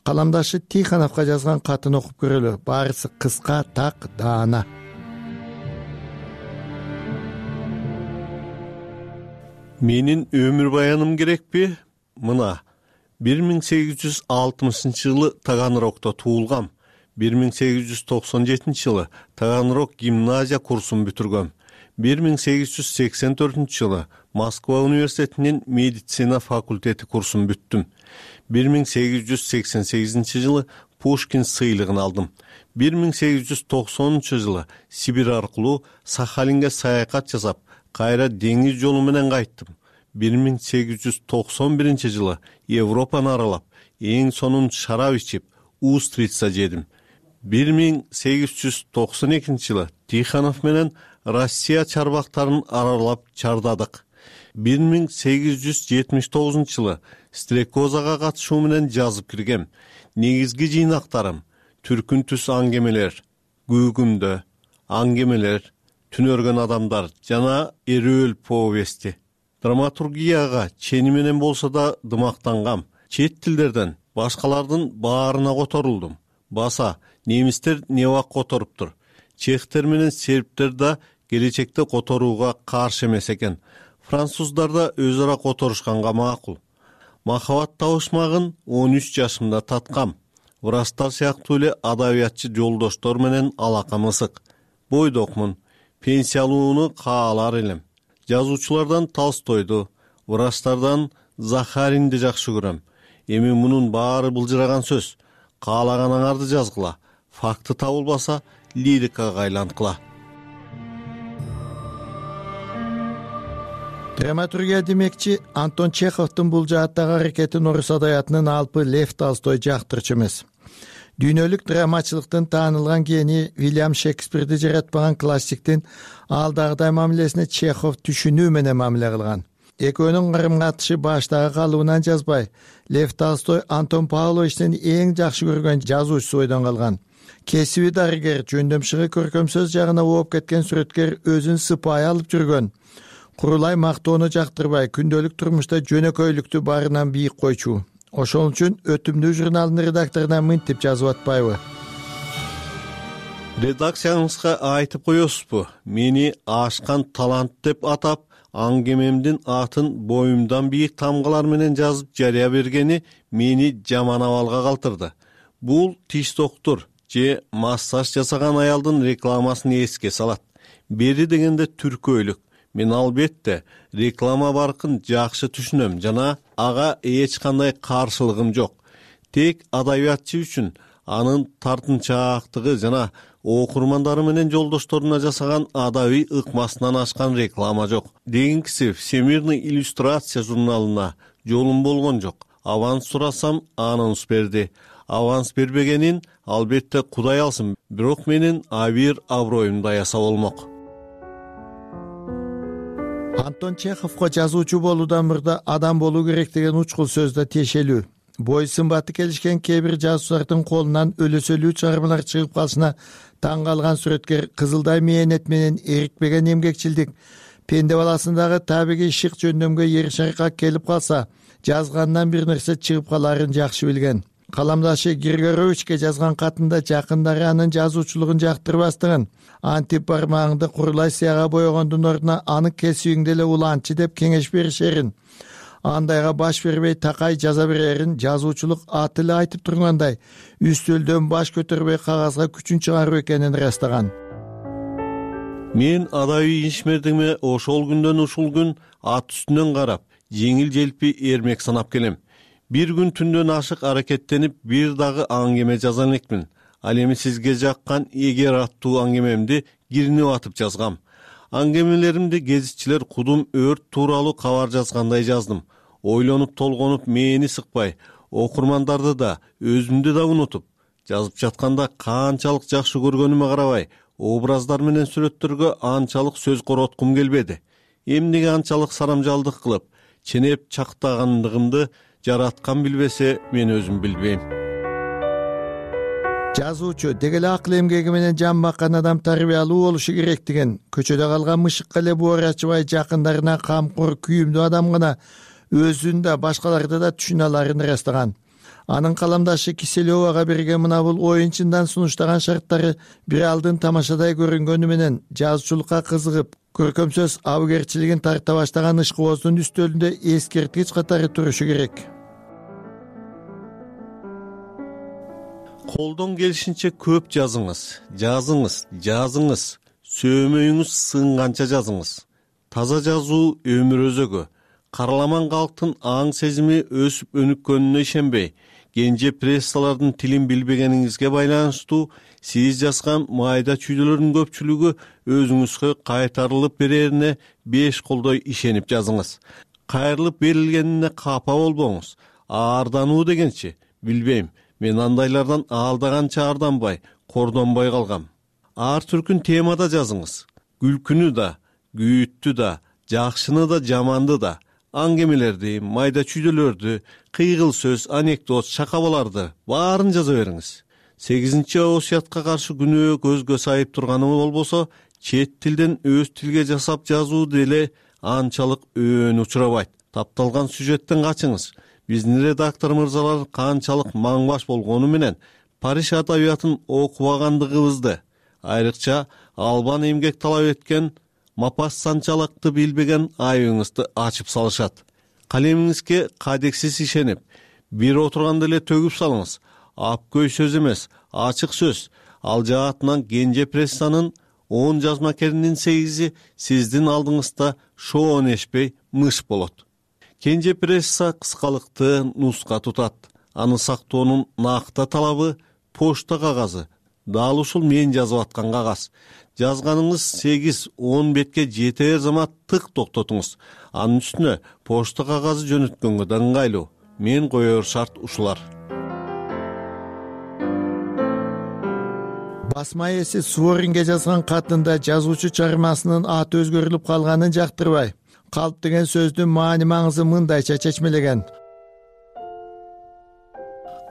Каламдашы Тихоновго жазган катын окуп көрөлү. Баарысы кыска, так, даана. Менин өмүр баяным керекпи? Мына бир миң сегиз жүз алтымышынчы жылы Таганрогдо туулгам. бир миң сегиз жүз токсон жетинчи жылы Таганрог гимназия курсун бүтүргөм. бир миң сегиз жүз сексен төртүнчү жылы Москва университетинин медицина факультети курсун бүттүм. бир миң сегиз жүз сексен сегизинчи жылы Пушкин сыйлыгын алдым. бир миң сегиз жүз токсонунчу жылы Сибирь аркылуу Сахалинге саякат жасап, кайра деңиз жолу менен кайттым. бир миң сегиз жүз токсон биринчи жылы Европаны аралап, эң сонун шарап ичип, устрица жедим. бир миң сегиз жүз токсон экинчи жылы Тихонов менен Россия чарбактарын аралап чардадык. бир миң сегиз жүз жетимиш тогузунчу жылы Стрекозага катышуу менен жазып киргем. Негизги жыйнактарым: Түркүн түс аңгемелер, Күүгүмдө, аңгемелер, Түнөргөн адамдар жана Эрөөл повести. Драматургияга чени менен болсо да дымактангам. Чет тилдерден башкалардын баарына которулдум. Баса немистер невак которуптур. Чехтер менен сербтер да келечекте которууга каршы эмес экен. Француздар да өз ара которушканга макул. Махабат табышмагын он үч жашымда таткам. Врачтар сыяктуу эле адабиятчы жолдоштор менен алакам ысык. Бойдокмун, пенсиялууну каалар элем. Жазуучулардан Толстойду, врачтардан Захаринди жакшы көрөм. Эми мунун баары былжыраган сөз. Каалаганыңарды жазгыла. Факты табылбаса, лирикага айланткыла. Драматургия демекчи, Антон Чеховдун бул жааттагы аракетин орус адабиятынын алпы Лев Толстой жактырчу эмес. Дүйнөлүк драмачылыктын таанылган гении Вильям Шекспирди жаратпаган классиктин алдагыдай мамилесине Чехов түшүнүү менен мамиле кылган. Экөөнүн карым катышы баштагы калыбынан жазбай, Лев Толстой Антон Павловичтин эң жакшы көргөн жазуучусу бойдон калган. Кесиби дарыгер, жөндөмшыгы көркөм сөз жагына ооп кеткен сүрөткер өзүн сыпайы алып жүргөн. Курулай мактоону жактырбай, күндөлүк турмушта жөнөкөйлүктү барынан бийик койчу. Ошол үчүн өтүмдүү журналдын редакторуна мынтип жазып атпайбы? Редакцияңызга айтып коесузбу? Мени ашкан талант деп атап, аңгемемдин атын боюмдан бийик тамгалар менен жазып жарыя бергени мени жаман абалга калтырды. Бул тиш доктур же массаж жасаган аялдын рекламасын эске салат. Бери дегенде түркөйлүк. Мен албетте реклама баркын жакшы түшүнөм жана ага эч кандай каршылыгым жок. Тек адабиятчы үчүн анын тартынчаактыгы жана окурмандары менен жолдошторуна жасаган адабий ыкмасынан ашкан реклама жок. Дегенкиси Всемирный иллюстрация журналына жолум болгон жок. Аванс сурасам, анонс берди. Аванс бербегенин албетте Кудай алсын, бирок менин абийир аброюмду аяса болмок. Антон Чеховго жазуучу болуудан мурда адам болуу керек деген учкул сөз да тиешелүү. Бой сымбаты келишкен кээ бир жазуучулардын колунан өлөсөлүү чыгармалар чыгып калышына таң калган сүрөткер кызылдай мээнет менен эрикпеген эмгекчилдик, пенде баласындагы табигый шык жөндөмгө ершаркак келип калса, жазгандан бир нерсе чыгып каларын жакшы билген. Каламдашы Григоровичке жазган катында жакындары анын жазуучулугун жактырбастыгын, антип бармагыңды курулай сыяга боегондун ордуна аны кесибиңди эле улантчы деп кеңеш беришерин, андайга баш бербей такай жаза берерин жазуучулук аты эле айтып тургандай үстөлдөн баш көтөрбөй кагазга күчүн чыгаруу экенин ырастаган. Мен адабий ишмердигиме ошол күндөн ушул күн ат үстүнөн карап, жеңил желпи эрмек санап келем. Бир күн түндөн ашык аракеттенип, бир дагы аңгеме жаза элекмин. Ал эми сизге жаккан эгер аттуу аңгемемди киринип атып жазгам. Аңгемелеримди гезитчилер кудум өрт тууралуу кабар жазгандай жаздым. Ойлонуп толгонуп мени сыкпай, окурмандарды да, өзүмдү да унутуп, жазып жатканда канчалык жакшы көргөнүмө карабай, образдар менен сүрөттөргө анчалык сөз короткум келбеди. Эмнеге анчалык сарамжалдык кылып, ченеп чактагандыгымды жараткан билбесе, мен өзүм билбейм. Жазуучу деги эле акыл эмгеги менен жан баккан адам тарбиялуу болушу керек деген, көчөдө калган мышыкка эле боор ачыбай жакындарына камкор, күйүмдүү адам гана өзүн да башкаларды да түшүнө аларын ырастаган. Анын каламдашы Киселевага берген мына бул оюнчундан сунуштаган шарттары бир алдын тамашадай көрүнгөнү менен жазуучулукка кызыгып, көркөм сөз абыгерчилигин тарта баштаган ышкыбоздун үстөлүндө эскерткич катары турушу керек. Колдон келишинче көп жазыңыз, жазыңыз, жазыңыз, сөөмөйүңүз сынганча жазыңыз. Таза жазуу өмүр өзөгү. Караламан калктын аң сезими өсүп өнүккөнүнө ишенбей, кенже прессалардын тилин билбегениңизге байланыштуу сиз жазган майда чүйдөлөрдүн көпчүлүгү өзүңүзгө кайтарылып берерине беш колдой ишенип жазыңыз. Кайрылып берилгенине капа болбоңуз. Аардануу дегенчи, билбейм. Мен андайлардан алдаганча арданбай, кордонбой калгам. Ар түркүн темада жазыңыз. Күлкүнү да, күйүттү да, жакшыны да, жаманды да, аңгемелерди, майда чүйдөлөрдү, кыйгыл сөз, анекдот, шакабаларды баарын жаза бериңиз. сегизинчи осуятка каршы күнөө көзгө сайып турганы болбосо, чет тилден өз тилге жасап жазуу деле анчалык өөн учурабайт. Тапталган сюжеттен качыңыз. Биздин редактор мырзалар канчалык маңбаш болгону менен Париж адабиятын окубагандыгыбызды, айрыкча албан эмгек талап эткен Мапассанчалыкты билбеген айыбыңызды ачып салышат. Калемиңизге кадексиз ишенип, бир отурганда эле төгүп салыңыз. Апкөй сөз эмес, ачык сөз. Ал жаатынан кенже прессанын он жазмакеринин сегизи сиздин алдыңызда шоонешпей мыш болот. Кенже пресса кыскалыкты нуска тутат. Аны сактоонун накта талабы почта кагазы. Дал ушул мен жазып аткан кагаз. Жазганыңыз сегиз он бетке жетер замат тык токтотуңуз. Анын үстүнө почта кагазы жөнөткөнгө да ыңгайлуу. Мен коер шарт ушулар. Басма ээси Суворинге жазган катында жазуучу чыгармасынын аты өзгөрүлүп калганын жактырбай, калп деген сөздүн маани маңызы мындайча чечмелеген.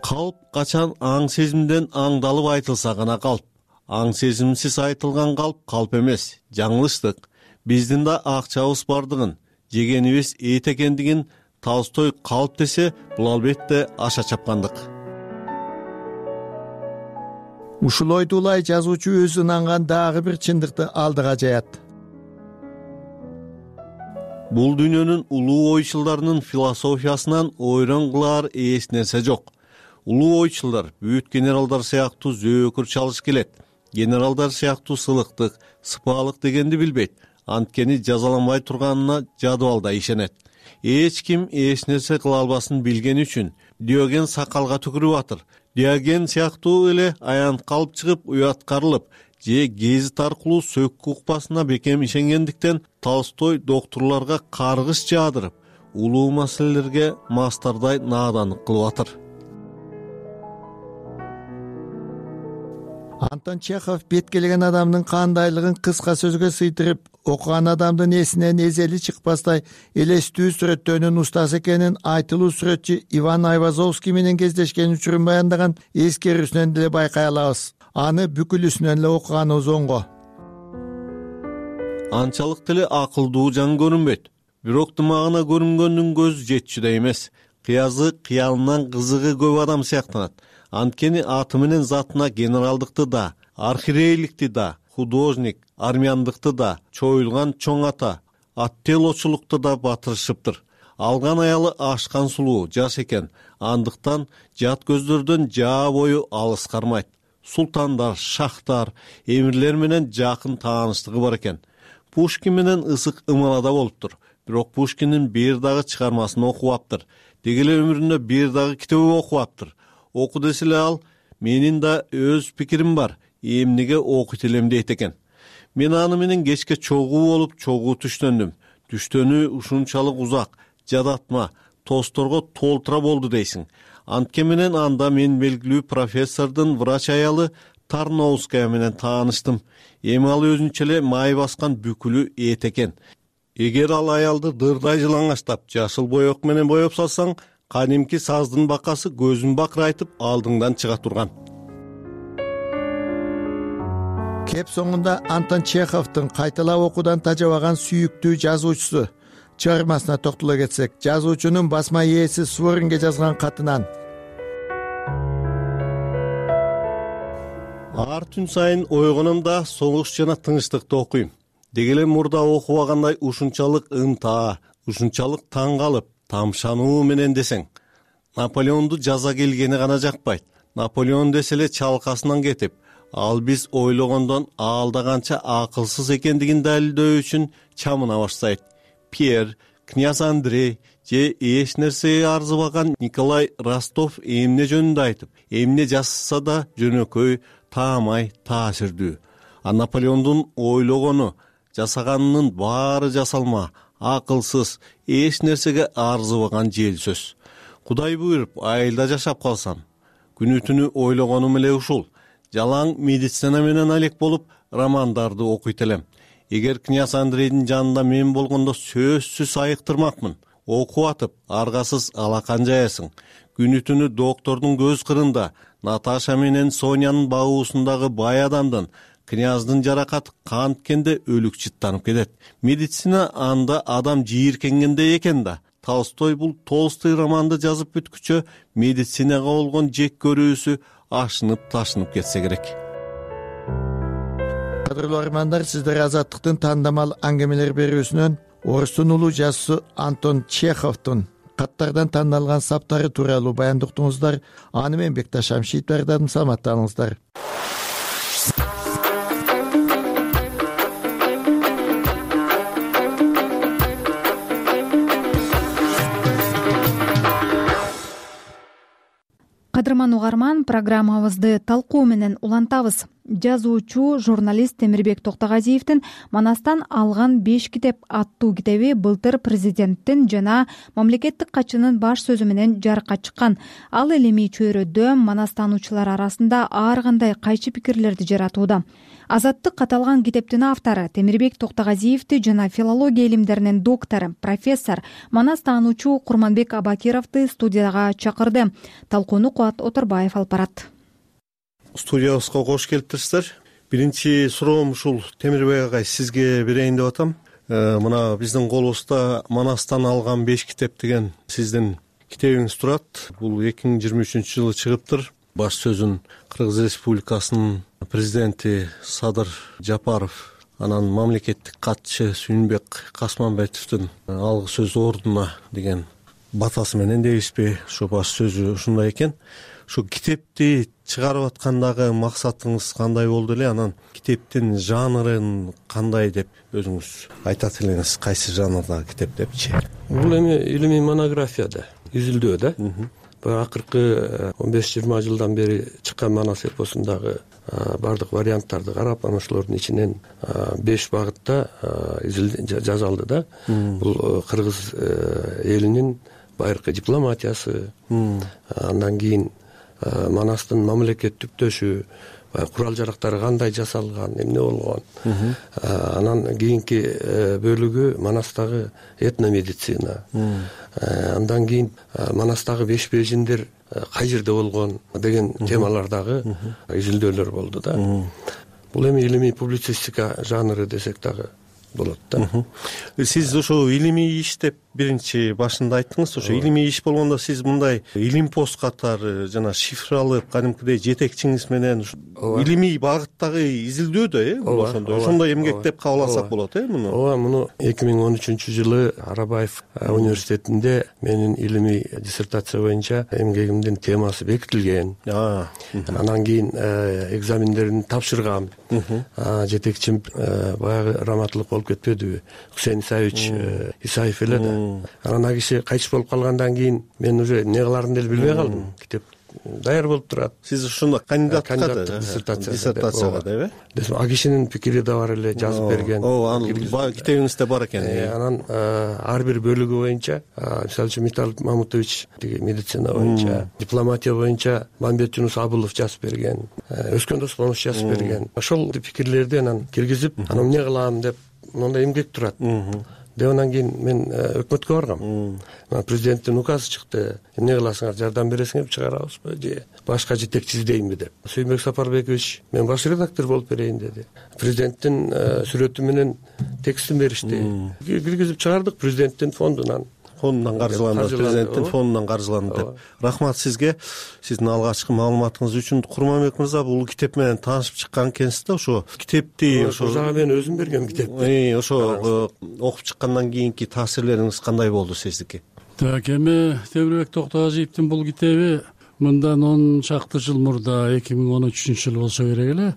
Калп качан аң сезимден аңдалып айтылса гана калп. Аң сезимсиз айтылган калп калп эмес, жаңылыштык. Биздин да акчабыз бардыгын, жегенибиз эт экендигин Толстой калп десе, бул албетте аша чапкандык. Ушул ойду улай жазуучу өзү ынанган дагы бир чындыкты алдыга жаят. Бул дүйнөнүн улуу ойчулдарынын философиясынан ойрон кылаар эч нерсе жок. Улуу ойчулдар бүт генералдар сыяктуу зөөкүр чалыш келет. Генералдар сыяктуу сылыктык, сыпаалык дегенди билбейт. Анткени жазаланбай турганына жадыбалда ишенет. Эч ким эч нерсе кыла албасын билгени үчүн Диоген сакалга түкүрүп атыр. Диоген сыяктуу эле аян калып чыгып уяткарылып, же гезит аркылуу сөккү укпасына бекем ишенгендиктен Толстой доктурларга каргыш жаадырып, улуу маселелерге мастардай нааданлык кылып атыр. Антон Чехов бет келген адамдын кандайлыгын кыска сөзгө сыйдырып, окуган адамдын эсинен эзели чыкпастай элестүү сүрөттөөнүн устасы экенин айтылуу сүрөтчү Иван Айвазовский менен кездешкен учурун баяндаган эскерүүсүнөн деле байкай алабыз. Аны бүкүлүсүнөн эле окуганыбыз оңго. Анчалык деле акылдуу жан көрүнбөйт. Бирок дымагына көрүнгөндүн көзү жетчүдөй эмес. Кыязы кыялынан кызыгы көп адам сыяктанат. Анткени аты менен затына генералдыкты да, архиерейликти да, художник, армяндыкты да, чоюлган чоң ата, аттелочулукту да батырышыптыр. алган аялы ашкан сулуу жаш экен, андыктан жат көздөрдөн жаа бою алыс кармайт. Султандар, шахтар, эмирлер менен жакын тааныштыгы бар экен. Пушкин менен ысык ымалада болуптур. Бирок Пушкиндин бир дагы чыгармасын окубаптыр. Деги эле өмүрүндө бир дагы китебин окубаптыр. Оку десе эле ал, менин да өз пикирим бар, эмнеге окуйт элем дейт экен. Мен аны менен кечке чогуу болуп, чогуу түштөндүм. Түштөнү ушунчалык узак, жадатма, тосторго толтура болду дейсиң. Антке менен анда мен белгилүү профессордун врач аялы Тарновская менен тааныштым. Эми ал өзүнчө эле май баскан бүкүлү эт экен. Эгер ал аялды дырдай жылаңачтап, жашыл боек менен боеп салсаң, кадимки саздын бакасы көзүн бакырайтып алдыңдан чыга турган. Кеп соңунда Антон Чеховдун кайталап окуудан тажабаган сүйүктүү жазуучусу чыгармасына токтоло кетсек, жазуучунун басма ээси Суворинге жазган катынан: Ар түн сайын ойгономда согуш жана тынчтыкты окуйм. Деги эле мурда окубагандай ушунчалык ынтаа, ушунчалык таң калып, тамшануу менен десең. Наполеонду жаза келгени гана жакпайт. Наполеон десе эле чалкасынан кетип, ал биз ойлогондон аалда канча акылсыз экендигин далилдөө үчүн чамына баштайт. Пьер, князь Андрей же эч нерсеге арзыбаган Николай Ростов эмне жөнүндө айтып, эмне жазса да жөнөкөй, таамай, таасирдүү. А Наполеондун ойлогону, жасаганынын баары жасалма, акылсыз, эч нерсеге арзыбаган жел сөз. Кудай буйруп айылда жашап калсам, күнү түнү ойлогонум эле ушул. Жалаң медицина менен алек болуп, романдарды окуйт элем. Эгер князь Андрейдин жанында мен болгондо сөзсүз айыктырмакмын. Окуп атып, аргасыз алакан жаясың. Күнү түнү доктордун көз кырында, Наташа менен Сонянын багуусундагы бай адамдын, княздын жаракаты канткенде өлүк жыттанып кетет. Медицина анда адам жийиркенгенде экен да. Толстой бул Толстой романды жазып бүткүчө медицинага болгон жек көрүүсү ашынып ташынып кетсе керек. Кадырлуу армандар, сиздер Азаттыктын тандамал аңгемелер берүүсүнөн орустун улуу жазуучусу Антон Чеховдун каттардан тандалган саптары тууралуу баяндуктуңуздар. Аны мен Бекташ Шамшиев даярдадым. Саламаттаныңыздар. Кадырман угарман, программабызды талкуу менен улантабыз. Жазуучу, журналист Темирбек Токтогазиевдин Манастан алган беш китеп аттуу китеби былтыр президенттин жана мамлекеттик катчынын баш сөзү менен жарыкка чыккан. Ал илимий чөйрөдө манастануучулар арасында ар кандай кайчы пикирлерди жаратууда. Азаттык каталган китептин автору Темирбек Токтогазиевди жана филология илимдеринин доктору, профессор, манастануучу Курманбек Абакировду студияга чакырды. Талкууну Кубат Оторбаев алып барат. Студиябызга кош келиптирсиздер. Биринчи суроом ушул, Темирбек агай, сизге берейин деп атам. Мына биздин колубузда Манастан алган беш китеп деген сиздин китебиңиз турат. Бул эки миң жыйырма үчүнчү жылы чыгыптыр. Баш сөзүн Кыргыз Республикасынын президенти Садыр Жапаров, анан мамлекеттик катчы Сүйүнбек Касманбетовдун алгы сөз ордуна деген батасы менен дейбизби, ошо баш сөзү ушундай экен. Ошо китепти чыгарып аткандагы максатыңыз кандай болду эле, анан китептин жанрын кандай деп өзүңүз айтат элеңиз, кайсы жанрдагы китеп депчи? Бул эми илимий монография да, изилдөө да. Баягы акыркы он беш жыйырма жылдан бери чыккан Манас эпосундагы бардык варианттарды карап, анан ошолордун ичинен беш багытта жазалды да. Бул кыргыз элинин байыркы дипломатиясы, андан кийин Манастын мамлекеттиктөшү, курал жарактары кандай жасалган, эмне болгон. Анан кийинки бөлүгү Манастагы этномедицина. Андан кийин Манастагы беш бежиндер кай жерде болгон деген темалардагы изилдөөлөр болду да. Бул эми илимий публицистика жанры десек дагы болот да. Сиз ошо илимий иштеп биринчи башында айттыңыз, ошо илимий иш болгондо сиз мындай илимпост катары жана шифр алып кадимкидей жетекчиңиз менен илимий багыттагы изилдөөдө э бул ошондой ошондой эмгектеп кабыл алсак болот э муну. ооба, муну эки миң он үчүнчү жылы Арабаев университетинде менин илимий диссертация боюнча эмгегимдин темасы бекитилген. Анан кийин экзамендерин тапшыргам. Жетекчим баягы раматылык болуп кетпедиби, Хусейн Исаевич Исаев эле да. Анан ал киши кайтыш болуп калгандан кийин мен уже эмне кылаарымды эле билбей калдым. Китеп даяр болуп турат. Сиз ошондо кандидатка диссертацияга деби? Ал кишинин пикири да бар эле, жазып берген. Ооба, анын китебиңизде бар экен. Анан ар бир бөлүгү боюнча, мисалы үчүн Миталь Мамутович тиги медицина боюнча, дипломатия боюнча Мамбет Жунус Абылов жазып берген, Өскөн Досмонов жазып берген. Ошол пикирлерди анан киргизип, анан эмне кылам деп мондай эмгек турат. Деп анан кийин мен өкмөткө баргам. Президенттин указы чыкты. Эмне кыласыңар, жардам бересиңерби, чыгарабызбы же башка жетекчи издейинби деп. Сүйүнбек Сапарбекович мен баш редактор болуп берейин деди. Президенттин сүрөтү менен текстин беришти. Киргизип чыгардык президенттин фондунан. Фондунан каржыланды, президенттин фондунан каржыланды деп. Рахмат сизге, сиздин алгачкы маалыматыңыз үчүн. Курманбек мырза, бул китеп менен таанышып чыккан экенсиз да, ошо китепти ошо мен өзүм бергем китепти. Ошо окуп чыккандан кийинки таасирлериңиз кандай болду сиздики? Так, эми Темирбек Токтогазиевдин бул китеби мындан он чакты жыл мурда эки миң он үчүнчү жыл болсо керек эле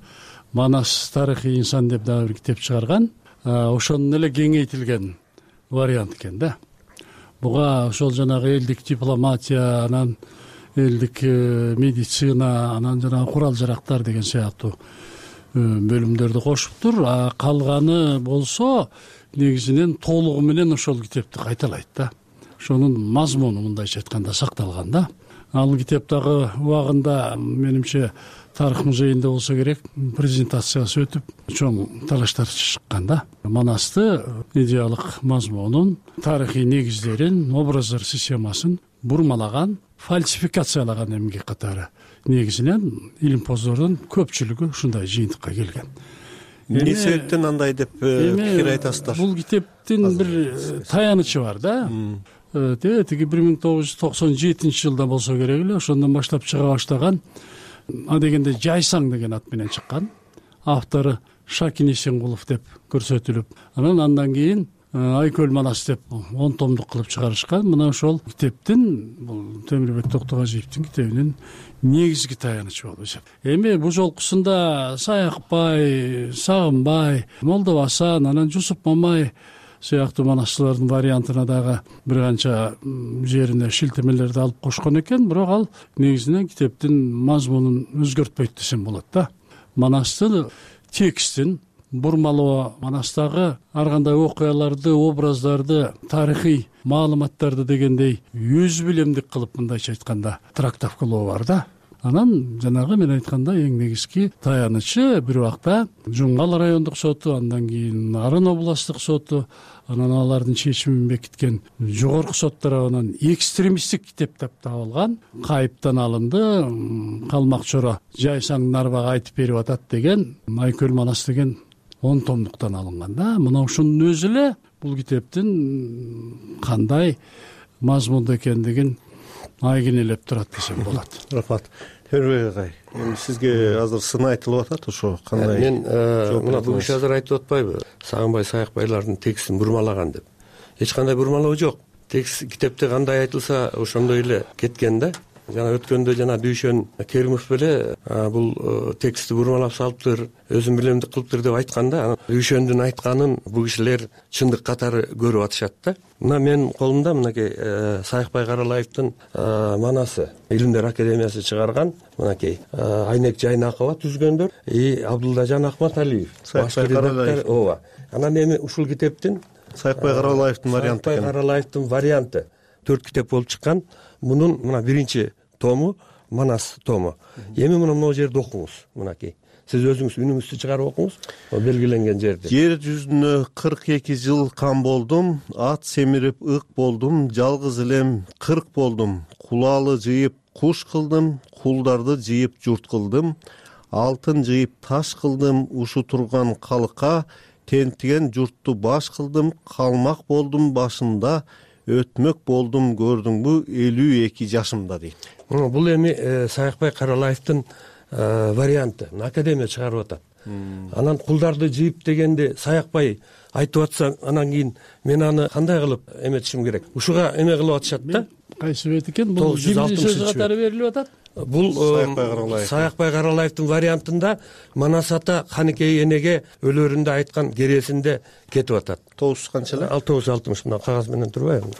Манас тарыхый инсан деп дагы бир китеп чыгарган. Ошонун эле кеңейтилген вариант экен да. Буга ошол жанагы элдик дипломатия, анан элдик медицина, анан жанагы курал жарактар деген сыяктуу бөлүмдөрдү кошуптур. А калганы болсо негизинен толугу менен ошол китепти кайталайт да. Ошонун мазмуну мындайча айтканда сакталган да. Ал китеп дагы убагында менимче тарых музейинде болсо керек презентациясы өтүп, чоң талаштар чыккан да. Манасты идеялык мазмунун, тарыхый негиздерин, образдар системасын бурмалаган, фальсификациялаган эмгек катары негизинен илимпоздордун көпчүлүгү ушундай жыйынтыкка келген. Эмне себептен андай деп пикир айтасыздар? Бул китептин бир таянычы бар да. Тиги бир миң тогуз жүз токсон жетинчи жылда болсо керек эле, ошондон баштап чыга баштаган. А дегенде Жайсаң деген ат менен чыккан. Автору Шакин Эсенкулов деп көрсөтүлүп, анан андан кийин Айкөл Манас деп он томдук кылып чыгарышкан. Мына ошол китептин, бул Темирбек Токтогазиевдин китебинин негизги таянычы болуп эсептелет. Эми бул жолкусунда Саякбай, Сагынбай, Молдо Асан, анан Жусуп Мамай сыяктуу манасчылардын вариантына дагы бир канча жерине шилтемелерди алып кошкон экен, бирок ал негизинен китептин мазмунун өзгөртпөйт десем болот да. Манастын текстин бурмалоо, Манастагы ар кандай окуяларды, образдарды, тарыхый маалыматтарды дегендей өз билемдик кылып мындайча айтканда трактовкалоо бар да. Анан жанагы мен айткандай эң негизги таянычы бир убакта Жуңгал райондук соту, андан кийин Нарын областтык соту, анан алардын чечимин бекиткен жогорку сот тарабынан экстремисттик китеп деп табылган, кайыптан алынды, Калмак Чоро Жайсаңдын арбага айтып берип атат деген Айкөл Манас деген он томдуктан алынган да. Мына ушунун өзү эле бул китептин кандай мазмунда экендигин айгинелеп турат десем болот. Рахмат. Темирбек агай, эми сизге азыр сын айтылып атат, ошо кандай? Мен мына бул киши азыр айтып атпайбы? Сагынбай, Саякбайлардын текстин бурмалаган деп. Эч кандай бурмалоо жок. Текст китепте кандай айтылса ошондой эле кеткен да. Жана өткөндө жана Дүйшөн Керимов беле бул текстти бурмалап салыптыр, өзүн билемдик кылыптыр деп айткан да. Дүйшөндүн айтканын бул кишилер чындык катары көрүп атышат да. Мына менин колумда мынакей Саякбай Каралаевдин Манасы Илимдер академиясы чыгарган, мынакей Айнек Жайнакова түзгөндөр и Абдулдажан Акматалиев башкы редактор. Ооба. Анан эми ушул китептин Саякбай Каралаевдин варианты. Саякбай Каралаевдин варианты төрт китеп болуп чыккан. Мунун мына биринчи тому Манас тому. Эми мына могу жерди окуңуз, мынакей. Сиз өзүңүз үнүңүздү чыгарып окуңуз, белгиленген жерди. Жер жүзүнө кырк эки жыл кам болдум, ат семирип ык болдум, жалгыз элем кырк болдум, кулалы жыйып куш кылдым, кулдарды жыйып журт кылдым, алтын жыйып таш кылдым, ушу турган калыкка тентиген журтту баш кылдым, калмак болдум башында, өтмөк болдум көрдүңбү элүү эки жашымда дейт. Бул эми Саякбай Каралаевдин варианты академия чыгарып атат. Анан кулдарды жыйып дегенде Саякбай айтып атса, анан кийин мен аны кандай кылып эметишим керек? Ушуга эме кылып атышат да. Кайсы бет экен? Бул кимдин сөзү катары берилип атат? Бул Саякбай Каралаевдин вариантында Манас ата Каныкей энеге өлөрүндө айткан кересинде кетип атат. тогуз жүз канча эле? тогуз жүз алтымыш мына кагаз менен турбайбы?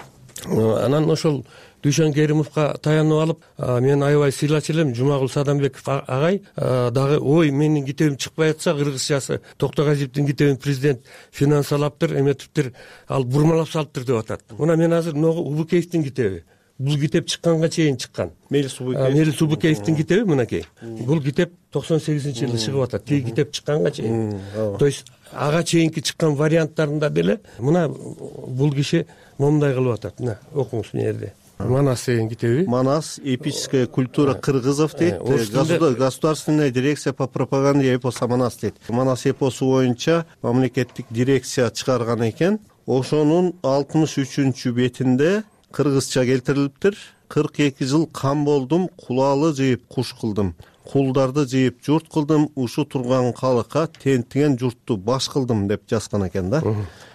Анан ошол Дүйшөн Керимовго таянып алып, мен аябай сыйлачу элем, Жумагул Садамбеков агай дагы ой менин китебим чыкпай атса, кыргызчасы Токтогазиевдин китебин президент финансалаптыр, эметиптир, ал бурмалап салыптыр деп атат. Мына мен азыр могу Убукеевдин китеби. Бул китеп чыкканга чейин чыккан. Мелис Убукеев. Мелис Убукеевдин китеби мынакей. Бул китеп токсон сегизинчи жылы чыгып атат. Тиги китеп чыкканга чейин. То есть ага чейинки чыккан варианттарында деле мына бул киши момундай кылып атат. Мына окуңуз мына жерде. Манас деген китеби. Манас эпическая культура кыргызов дейт. Государственная дирекция по пропаганде эпоса Манас дейт. Манас эпосу боюнча мамлекеттик дирекция чыгарган экен. Ошонун алтымыш үчүнчү бетинде кыргызча келтирилиптир. кырк эки жыл кам болдум, кулалы жыйып куш кылдым. Кулдарды жыйып журт кылдым, ушу турган калыкка тентиген журтту баш кылдым деп жазган экен да.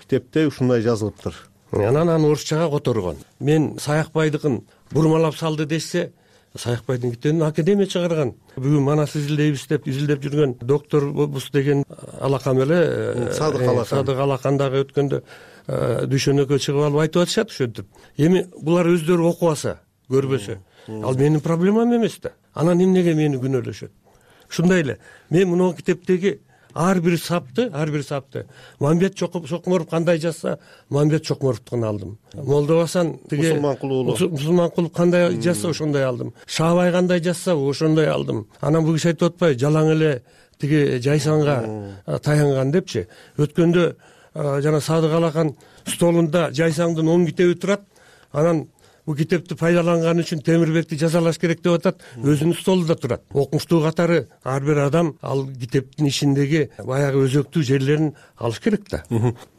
Китепте ушундай жазылыптыр. Анан аны орусчага которгон. Мен Саякбайдыкын бурмалап салды десе, Саякбайдын китебин академия чыгарган. Бүгүн Манас изилдейбиз деп изилдеп жүргөн доктор бус деген алакам эле Садык Алакан. Садык Алакандагы өткөндө Дүйшөнөккө чыгып алып айтып атышат ошентип. Эми булар өздөрү окубаса, көрбөсө, ал менин проблемам эмес да. Анан эмнеге мени күнөөлөшөт? Ушундай эле мен мына китептеги ар бир сапты, ар бир сапты Мамбет Чокморов кандай жазса, Мамбет Чокморовдукун алдым. Молдобасан тиги Мусулманкулуу Мусулманкулов кандай жазса, ошондой алдым. Шаабай кандай жазса, ошондой алдым. Анан бул киши айтып атпайбы, жалаң эле тиги Жайсаңга таянган депчи. Өткөндө жана Садык Алакан столунда Жайсаңдын он китеби турат. Анан бул китепти пайдаланган үчүн Темирбекти жазалаш керек деп атат. Өзүнүн столунда турат. Окумуштуу катары ар бир адам ал китептин ичиндеги баягы өзөктүү жерлерин алыш керек да.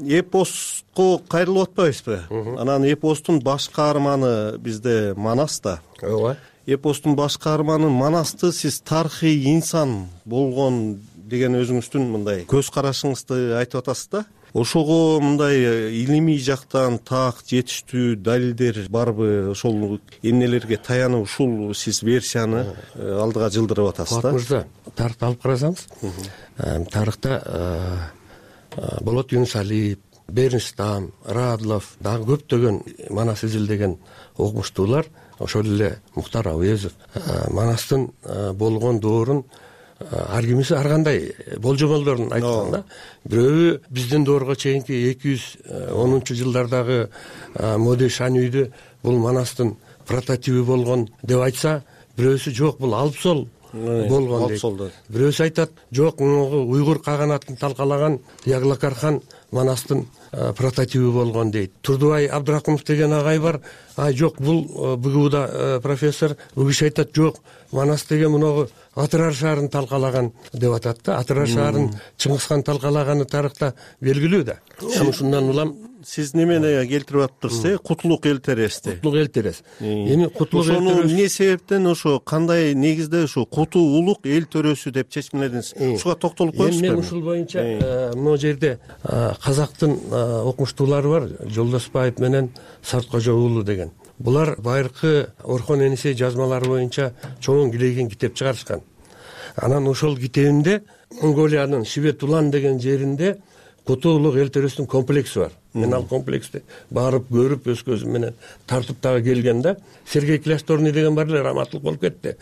Эпоско кайрылып атпайбызбы? Анан эпостун баш каарманы бизде Манас да. Ооба. Эпостун баш каарманы Манасты сиз тарыхый инсан болгон деген өзүңүздүн мындай көз карашыңызды айтып атасыз да. Ошого мындай илимий жактан так жетиштүү далилдер барбы? Ошол эмнелерге таянып ушул сиз версияны алдыга жылдырып атасыз да? Мырза, тарыхты алып карасаңыз, тарыхта Болот Юнусалиев, Бернстам, Радлов, дагы көптөгөн Манас изилдеген окумуштуулар, ошол эле Муктар Абуезов Манастын болгон доорун ар кимиси ар кандай болжомолдорун айткан да. Бирөө биздин доорго чейинки эки жүз онунчу жылдардагы Моди Шанүйдү бул Манастын прототиби болгон деп айтса, бирөөсү жок бул Алпсол болгон дейт. Бирөөсү айтат, жок могу уйгур каганатын талкалаган Яглакархан Манастын прототиби болгон дейт. Турдубай Абдракымов деген агай бар. Ай жок бул БГУда профессор, бул киши айтат, жок Манас деген мунагу Атырар шаарын талкалаган деп атат да. Атырар шаарын Чыңгызхан талкалаганы тарыхта белгилүү да. Ушундан улам сиз немени келтирип атыптырсыз? Кутулук эл терести. Кутулук эл терес. Эми Кутулук эл терес эмне себептен ошо кандай негизде ошо Кутулук эл төрөсү деп чечимледиңиз? Ушуга токтолуп коесузбу? Мен ушул боюнча могу жерде казактын окумуштуулары бар, Жолдошбаев менен Сарткожо уулу деген. Булар байыркы Орхон Энисей жазмалары боюнча чоң килейген китеп чыгарышкан. Анан ошол китебинде Монголиянын Шибет Улан деген жеринде Кутулук эл төрөсүнүн комплекси бар. Мен ал комплексти барып көрүп өз көзүм менен тартып дагы келген да. Сергей Кляшторный деген бар эле, раматтылык болуп кетти.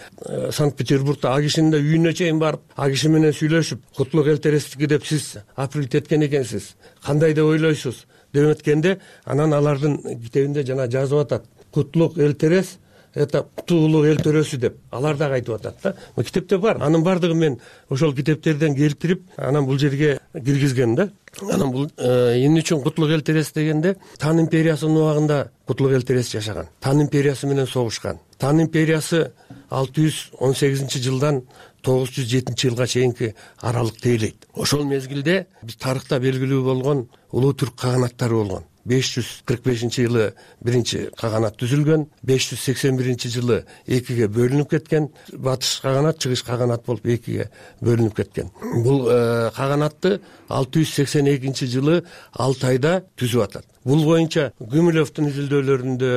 Санкт-Петербургда а кишинин да үйүнө чейин барып, а киши менен сүйлөшүп, Кутулук эл терестики деп сиз априлт эткен экенсиз. Кандай деп ойлойсуз деп эткенде, анан алардын китебинде жана жазып атат. Кутулук эл терес это Кутулук эл төрөсү деп алар дагы айтып атат да. Бул китепте бар. Анын бардыгын мен ошол китептерден келтирип, анан бул жерге киргизгем да. Анан бул эмне үчүн Кутулук эл терес дегенде, Тан империясынын убагында Кутулук эл терес жашаган. Тан империясы менен согушкан. Тан империясы алты жүз он сегизинчи жылдан тогуз жүз жетинчи жылга чейинки аралыкты ээлейт. Ошол мезгилде биз тарыхта белгилүү болгон улуу түрк каганаттары болгон. беш жүз кырк бешинчи жылы биринчи каганат түзүлгөн, беш жүз сексен биринчи жылы экиге бөлүнүп кеткен. Батыш каганат, чыгыш каганат болуп экиге бөлүнүп кеткен. Бул каганатты алты жүз сексен экинчи жылы алты айда түзүп атат. Бул боюнча Гумилевдин изилдөөлөрүндө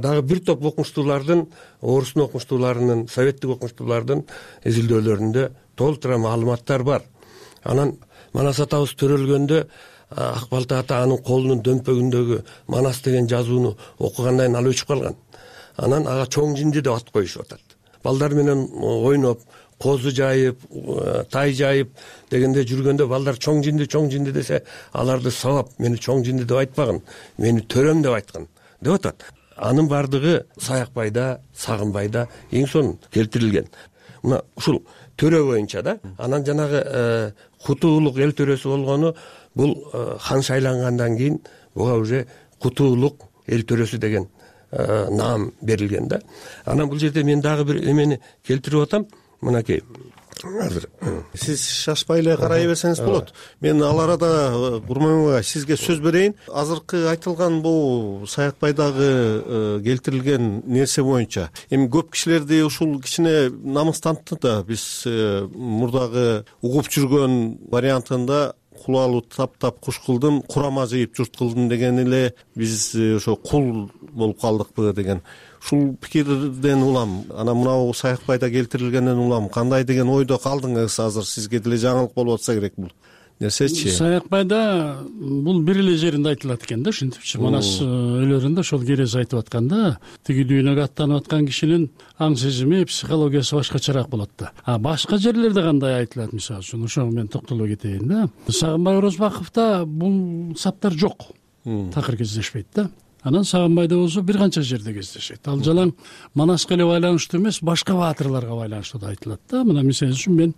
дагы бир топ окумуштуулардын, орустун окумуштууларынын, советтик окумуштуулардын изилдөөлөрүндө толтура маалыматтар бар. Анан Манас атабыз төрөлгөндө Ак балта ата анын колунун дөмпөгүндөгү Манас деген жазууну окугандан кийин ал өчүп калган. Анан ага чоң жинди деп ат коюшуп атат. Балдар менен ойноп, козу жайып, тай жайып дегенде жүргөндө балдар чоң жинди, чоң жинди десе, аларды сабап, мени чоң жинди деп айтпаган, мени төрөм деп айткан деп атат. Анын бардыгы Саякбайда, Сагынбайда эң сонун келтирилген. Мына ушул төрө боюнча да, анан жанагы Кутуулук эл төрөсү болгону бул хан шайлангандан кийин буга уже Кутуулук эл төрөсү деген наам берилген да. Анан бул жерде мен дагы бир эмени келтирип атам. Мынакей азыр сиз шашпай эле карай берсеңиз болот. Мен ал арада Курманбек ага сизге сөз берейин. Азыркы айтылган бул Саякбайдагы келтирилген нерсе боюнча эми көп кишилерди ушул кичине намыстантты да. Биз мурдагы угуп жүргөн вариантында кулалуу таптап куш кылдым, курама жыйып журт кылдым деген эле биз ошо кул болуп калдыкпы деген ушул пикирден улам. Анан мынау Саякбайда келтирилгенден улам кандай деген ойдо калдыңыз? Азыр сизге деле жаңылык болуп атса керек бул нерсечи. Саякбайда бул бир эле жеринде айтылат экен да, ушинтипчи Манас өлөрүндө ошол керез айтып атканда, тиги дүйнөгө аттанып аткан кишинин аң сезими, психологиясы башкачараак болот да. А башка жерлерде кандай айтылат, мисалы үчүн ошого мен токтоло кетейин да. Сагынбай Орозбаковдо бул саптар жок. Такыр кездешпейт да. Анан Сагынбайда болсо бир канча жерде кездешет. Ал жалаң Манаска эле байланыштуу эмес, башка баатырларга байланыштуу да айтылат да. Мына мисалы үчүн мен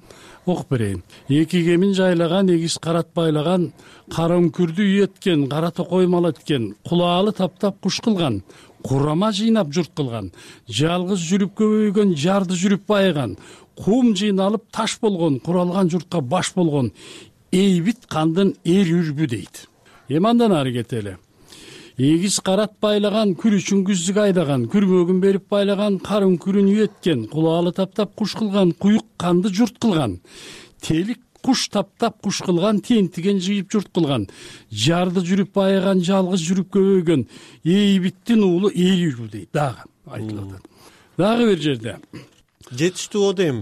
окуп берейин. Эки кемин жайлаган, эгиз карат байлаган, кара үңкүрдү үйөткөн, кара токой мал эткен, кулаалы таптап куш кылган, курама жыйнап журт кылган, жалгыз жүрүп көбөйгөн, жарды жүрүп байыган, кум жыйналып таш болгон, куралган журтка баш болгон, эйбит кандын эр үрбү дейт. Эми андан ары кетели. Эгиз карат байлаган, күр үчүн күздүк айдаган, күрмөгүн берип байлаган, кар үңкүрүн үйөткөн, кулаалы таптап куш кылган, куюк канды журт кылган, телик куш таптап куш кылган, тентиген жыйып журт кылган, жарды жүрүп байыган, жалгыз жүрүп көбөйгөн, эйбиттин уулу эл үрбү дейт. Дагы айтылып атат. Дагы бир жерде жетиштүү о дейм.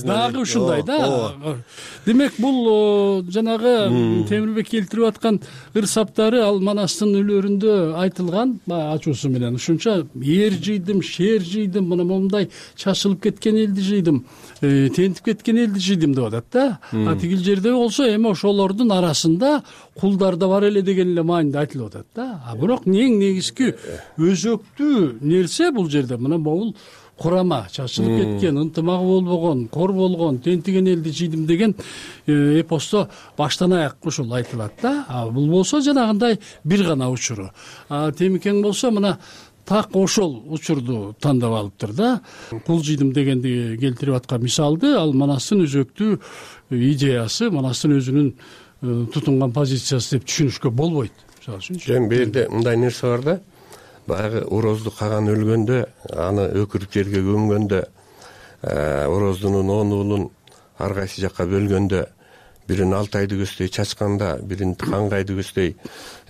Дагы ушундай да. Демек бул жанагы Темирбек келтирип аткан ыр саптары ал Манастын өлөрүндө айтылган ачуусу менен. Ушунча эр жыйдым, шер жыйдым, мына момундай чачылып кеткен элди жыйдым, тентип кеткен элди жыйдым деп атат да. А тигил жерде болсо эми ошолордун арасында кулдар да бар эле деген эле мааниде айтылып атат да. А бирок эң негизги өзөктүү нерсе бул жерде мына бул курама, чачылып кеткен, ынтымагы болбогон, кор болгон, тентиген элди жыйдым деген эпосто баштан аяк ушул айтылат да. А бул болсо жанагындай бир гана учуру. А Темикең болсо мына так ошол учурду тандап алыптыр да. Кул жыйдым дегенди келтирип аткан мисалды ал Манастын өзөктүү идеясы, Манастын өзүнүн тутунган позициясы деп түшүнүшкө болбойт. Мисалы үчүн. Эми бул жерде мындай нерсе бар да. Баягы Орозду каган өлгөндө, аны өкүрүп жерге көмгөндө, Ороздунун он уулун ар кайсы жакка бөлгөндө, бирин Алтайды көздөй чачканда, бирин Кангайды көздөй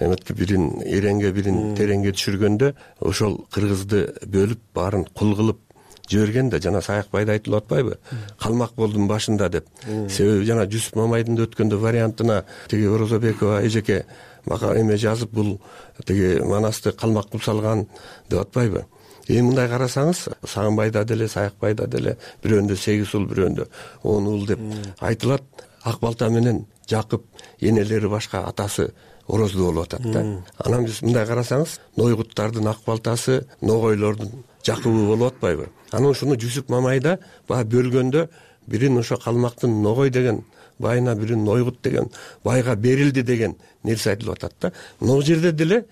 эметке, бирин Эренге, бирин Тереңге түшүргөндө, ошол кыргызды бөлүп, баарын кул кылып жиберген да. Жана Саякбайда айтылып атпайбы? Калмак болдум башында деп. Себеби жана Жүсүп Мамайдын өткөндө вариантына тиги Орозобекова эжеке мага эме жазып, бул тиги Манасты калмак кылып салган деп атпайбы? Эми мындай карасаңыз, Сагынбайда деле, Саякбайда деле бирөөндө сегиз уул, бирөөндө он уул деп айтылат. Ак балта менен Жакып энелери башка, атасы Орозду болуп атат да. Анан биз мындай карасаңыз, Нойгуттардын Ак балтасы, Ногойлордун Жакыбы болуп атпайбы? Анан ушуну Жүсүп Мамайда баа бөлгөндө бирин ошо калмактын Ногой деген байына, бирин Нойгут деген байга берилди деген нерсе айтылып атат да. Могу жерде деле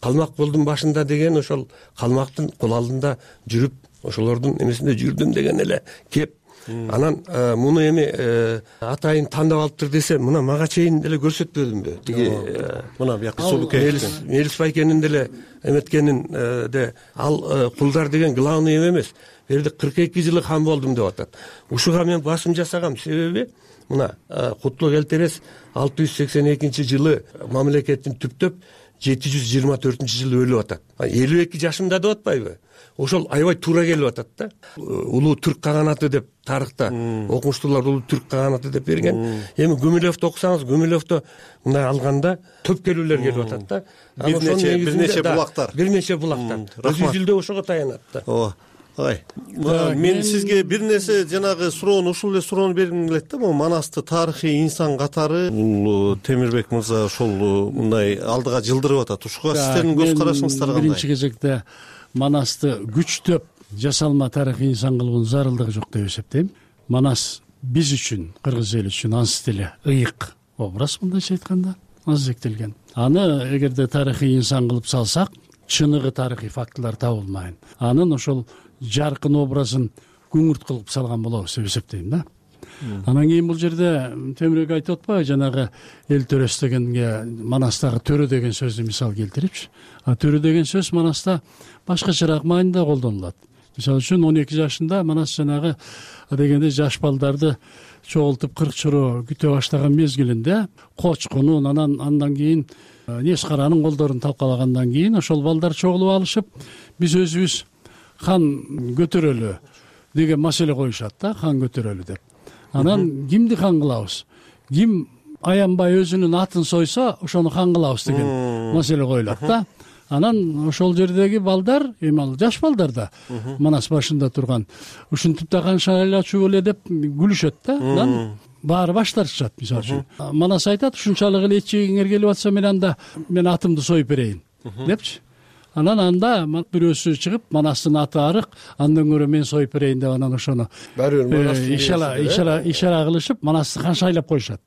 калмак болдум башында деген ошол калмактын кул алдында жүрүп, ошолордун эмесинде жүрдүм деген эле кеп Анан муну эми атайын тандап алыптыр десе, мына мага чейин деле көрсөтпөдүмбү тиги мына бияка сулукей Мелис байкенин деле эметкенин де ал кулдар деген главный эме эмес. Бул жерде кырк эки жылы хан болдум деп атат. Ушуга мен басым жасагам, себеби мына Кутлук Элтерес алты жүз сексен экинчи жылы мамлекетин түптөп жети жүз жыйырма төртүнчү жылы өлүп атат. элүү эки жашында деп атпайбы? Ошол аябай туура келип атат да. Улуу түрк каганаты деп тарыхта окумуштуулар улуу түрк каганаты деп берген. Эми Гумилевди окусаңыз, Гумилевди мындай алганда төп келүүлөр келип атат да. Бир нече бир нече булактар. Бир нече булактар. Өзү жүлдө ошого таянат да. Ооба. Ой, мен сизге бир нерсе жанагы суроону ушул эле суроону бергим келет да. Могу Манасты тарыхый инсан катары бул Темирбек мырза ошол мындай алдыга жылдырып атат. Ушуга сиздердин көз карашыңыздар кандай? Биринчи кезекте Манасты күчтөп жасалма тарыхый инсан кылуунун зарылдыгы жок деп эсептейм. Манас биз үчүн, кыргыз эли үчүн ансы деле ыйык образ, мындайча айтканда, азектелген. Аны эгерде тарыхый инсан кылып салсак, чыныгы тарыхый фактылар табылмайын. Анын ошол жаркын образын күңүрт кылып салган болобуз деп эсептейм да. Анан кийин бул жерде Темирбек айтып атпайбы, жанагы эл төрөс дегенге Манастагы төрө деген сөздү мисал келтирипчи. А төрө деген сөз Манаста башкачараак маанайда колдонулат. Мисалы үчүн он эки жашында Манас жанагы дегенде жаш балдарды чогултуп кырк чороо күтө баштаган мезгилинде Кочкунун, анан андан кийин Нескаранын колдорун талкалагандан кийин ошол балдар чогулуп алышып, биз өзүбүз хан көтөрөлү деген маселе коюшат да, хан көтөрөлү деп. Анан кимди хан кылабыз? Ким аянбай өзүнүн атын сойсо, ошону хан кылабыз деген маселе коюлат да. Анан ошол жердеги балдар, эми ал жаш балдар да, Манас башында турган, ушинтип да хан шайлачу эле деп күлүшөт да. Анан баары баш тартышат, мисалы үчүн. Манас айтат, ушунчалык эле эчегиңер келип атса, мен анда мен атымды союп берейин депчи. Анан анда бирөөсү чыгып, Манастын аты арык, андан көрө мен союп берейин деп анан ошону ишара ишара кылышып Манасты хан шайлап коюшат.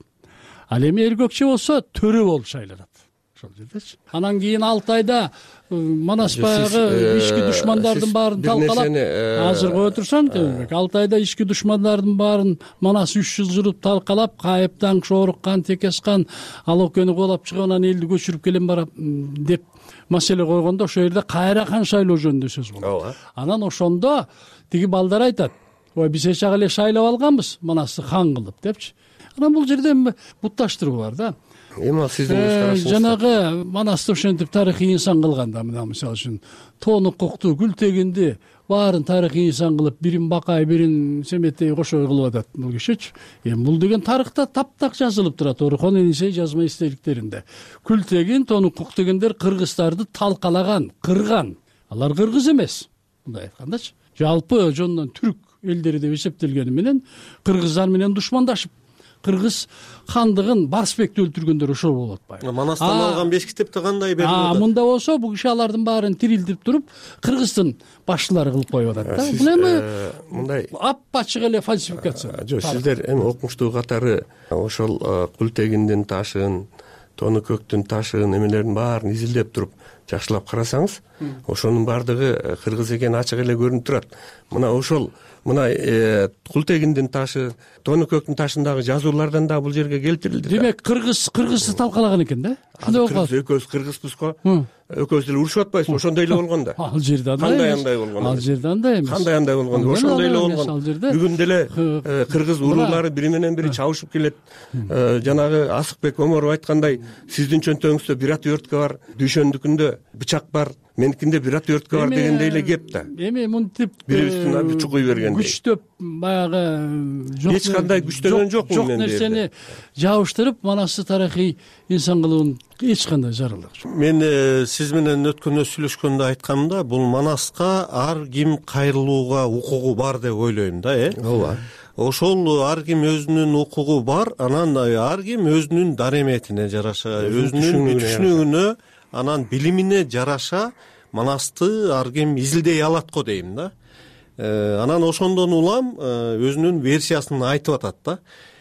Ал эми эркекче болсо төрө болуп шайланат ошол жердечи. Анан кийин алты айда Манас баягы ички душмандардын баарын талкалап, азыр кое турсаң Темирбек, алты айда ички душмандардын баарын Манас үч жыл жүрүп талкалап, Кайыптан, Шоруккан, Текескан, ал өлкөнү куулап чыгып анан элди көчүрүп келем барам деп маселе койгондо, ошол жерде кайра хан шайлоо жөнүндө сөз болот. Анан ошондо тиги балдар айтат, ой биз эч эле шайлап алганбыз Манасты хан кылып депчи. Анан бул жерде бутташтыруу бар да. Эми ал сиздин көз карашыңыз. Жанагы Манасты ошентип тарыхый инсан кылганда, мына мисалы үчүн Тоону Кокту, Гүлтегинди баарын тарыхый инсан кылып, бирин Бакай, бирин Семеттей кошой кылып атат бул кишичи. Эми бул деген тарыхта таптак жазылып турат, Орхон Энисей жазма эстеликтеринде. Гүлтегин, Тоону Кок дегендер кыргыздарды талкалаган, кырган. Алар кыргыз эмес, мындай айткандачы. Жалпы жонунан түрк элдери деп эсептелгени менен кыргыздар менен душмандашып, кыргыз хандыгын Барсбекти өлтүргөндөр ошол болуп атпайбы? Манастан алган беш китепте кандай берилип атат? А мында болсо бул киши алардын баарын тирилтип туруп, кыргыздын башчылары кылып коюп атат да. Бул эми мындай ап-ачык эле фальсификация. Жок, сиздер эми окумуштуу катары ошол Гүлтегиндин ташын, Тоону Көктүн ташын, эмелердин баарын изилдеп туруп жакшылап карасаңыз, ошонун баардыгы кыргыз экени ачык эле көрүнүп турат. Мына ошол мына Гүлтегиндин ташы, Тоону Көктүн ташындагы жазуулардан да бул жерге келтирилди. Демек кыргыз кыргызды талкалаган экен да? Ошондой болгон. Экөөбүз кыргызбыз го. Экөөбүз деле урушуп атпайбызбы? Ошондой эле болгон да. Ал жерде андай. Кандай андай болгон? Ал жерде андай эмес. Кандай андай болгон? Ошондой эле болгон. Бүгүн деле кыргыз уруулары бири менен бири чабышып келет. Жанагы Асыкбек Оморов айткандай, сиздин чөнтөгүңүздө бир отвертка бар, дүйшөндүкүндө бычак бар, меникинде бир отвертка бар дегендей эле кеп да. Эми мынтип бирибиздин чукуй бергендей. Күчтөп баягы эч кандай күчтөгөн жокмун жок нерсени жабыштырып, Манасты тарыхый инсан кылуунун эч кандай зарылдыгы жок. Мен сиз менен өткөндө сүйлөшкөндө айткамда, бул Манаска ар ким кайрылууга укугу бар деп ойлойм да, э? Ооба. Ошол ар ким өзүнүн укугу бар, анан ар ким өзүнүн дареметине жараша, өзүнүн түшүнүгүнө, анан билимине жараша Манасты ар ким изилдей алат го дейм да. Анан ошондон улам өзүнүн версиясын айтып атат да.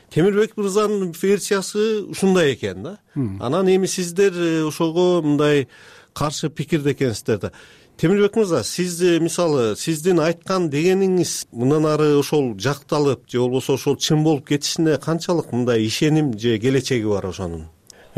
Темирбек мырзанын версиясы ушундай экен да. Анан эми сиздер ошого мындай каршы пикирде экенсиздер да. темирбек мырза, сиз мисалы сиздин айткан дегениңиз мындан ары ошол жакталып же болбосо ошол чын болуп кетишине канчалык мындай ишеним же келечеги бар ошонун?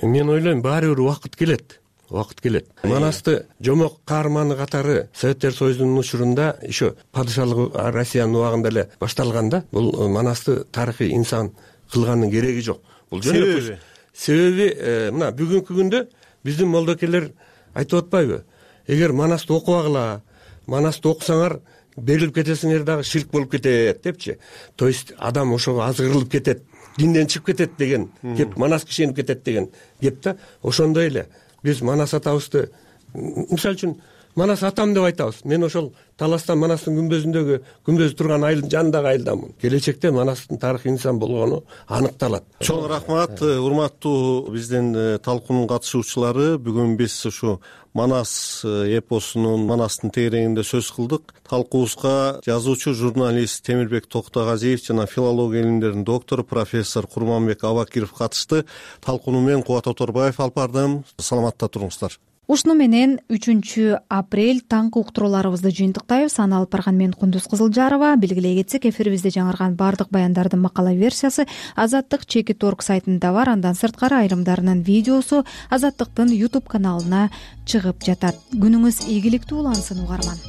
Мен ойлойм баары бир убакыт келет. Убакыт келет. Манасты жомок каарманы катары Советтер Союзунун учурунда еще падышалык Россиянын убагында эле башталган да. Бул Манасты тарыхый инсан кылганын кереги жок. Бул жөн эле себеби мына бүгүнкү күндө биздин молдокелер айтып атпайбы? Эгер Манасты окубагыла, Манасты окусаңар берилип кетесиңер дагы ширк болуп кетет депчи. То есть адам ошого азгырылып кетет, динден чыгып кетет деген кеп, Манаска ишенип кетет деген кеп да. Ошондой эле биз Манас атабызды, мисалы үчүн Манас атам деп айтабыз. Мен ошол Таластан Манастын күмбөзүндөгү күмбөзү турган айылдын жанындагы айылдамын. Келечекте Манастын тарыхый инсан болгону аныкталат. Чоң рахмат, урматтуу биздин талкуунун катышуучулары. Бүгүн биз ушу Манас эпосунун, Манастын тегерегинде сөз кылдык. Талкуубузга жазуучу, журналист Темирбек Токтогазиев жана филология илимдеринин доктору профессор Курманбек Абакиров катышты. Талкууну мен Кубат Оторбаев алып бардым. Саламатта туруңуздар. Ушуну менен үчүнчү апрель таңкы уктурууларыбызды жыйынтыктайбыз. Аны алып барган мен Кундуз Кызылжарова. Белгилей кетсек, эфирибизде жаңырган бардык баяндардын макала версиясы Азаттык чекит точка орг сайтында бар. Андан сырткары айрымдарынын видеосу Азаттыктын YouTube каналына чыгып жатат. Күнүңүз ийгиликтүү улансын, угарман.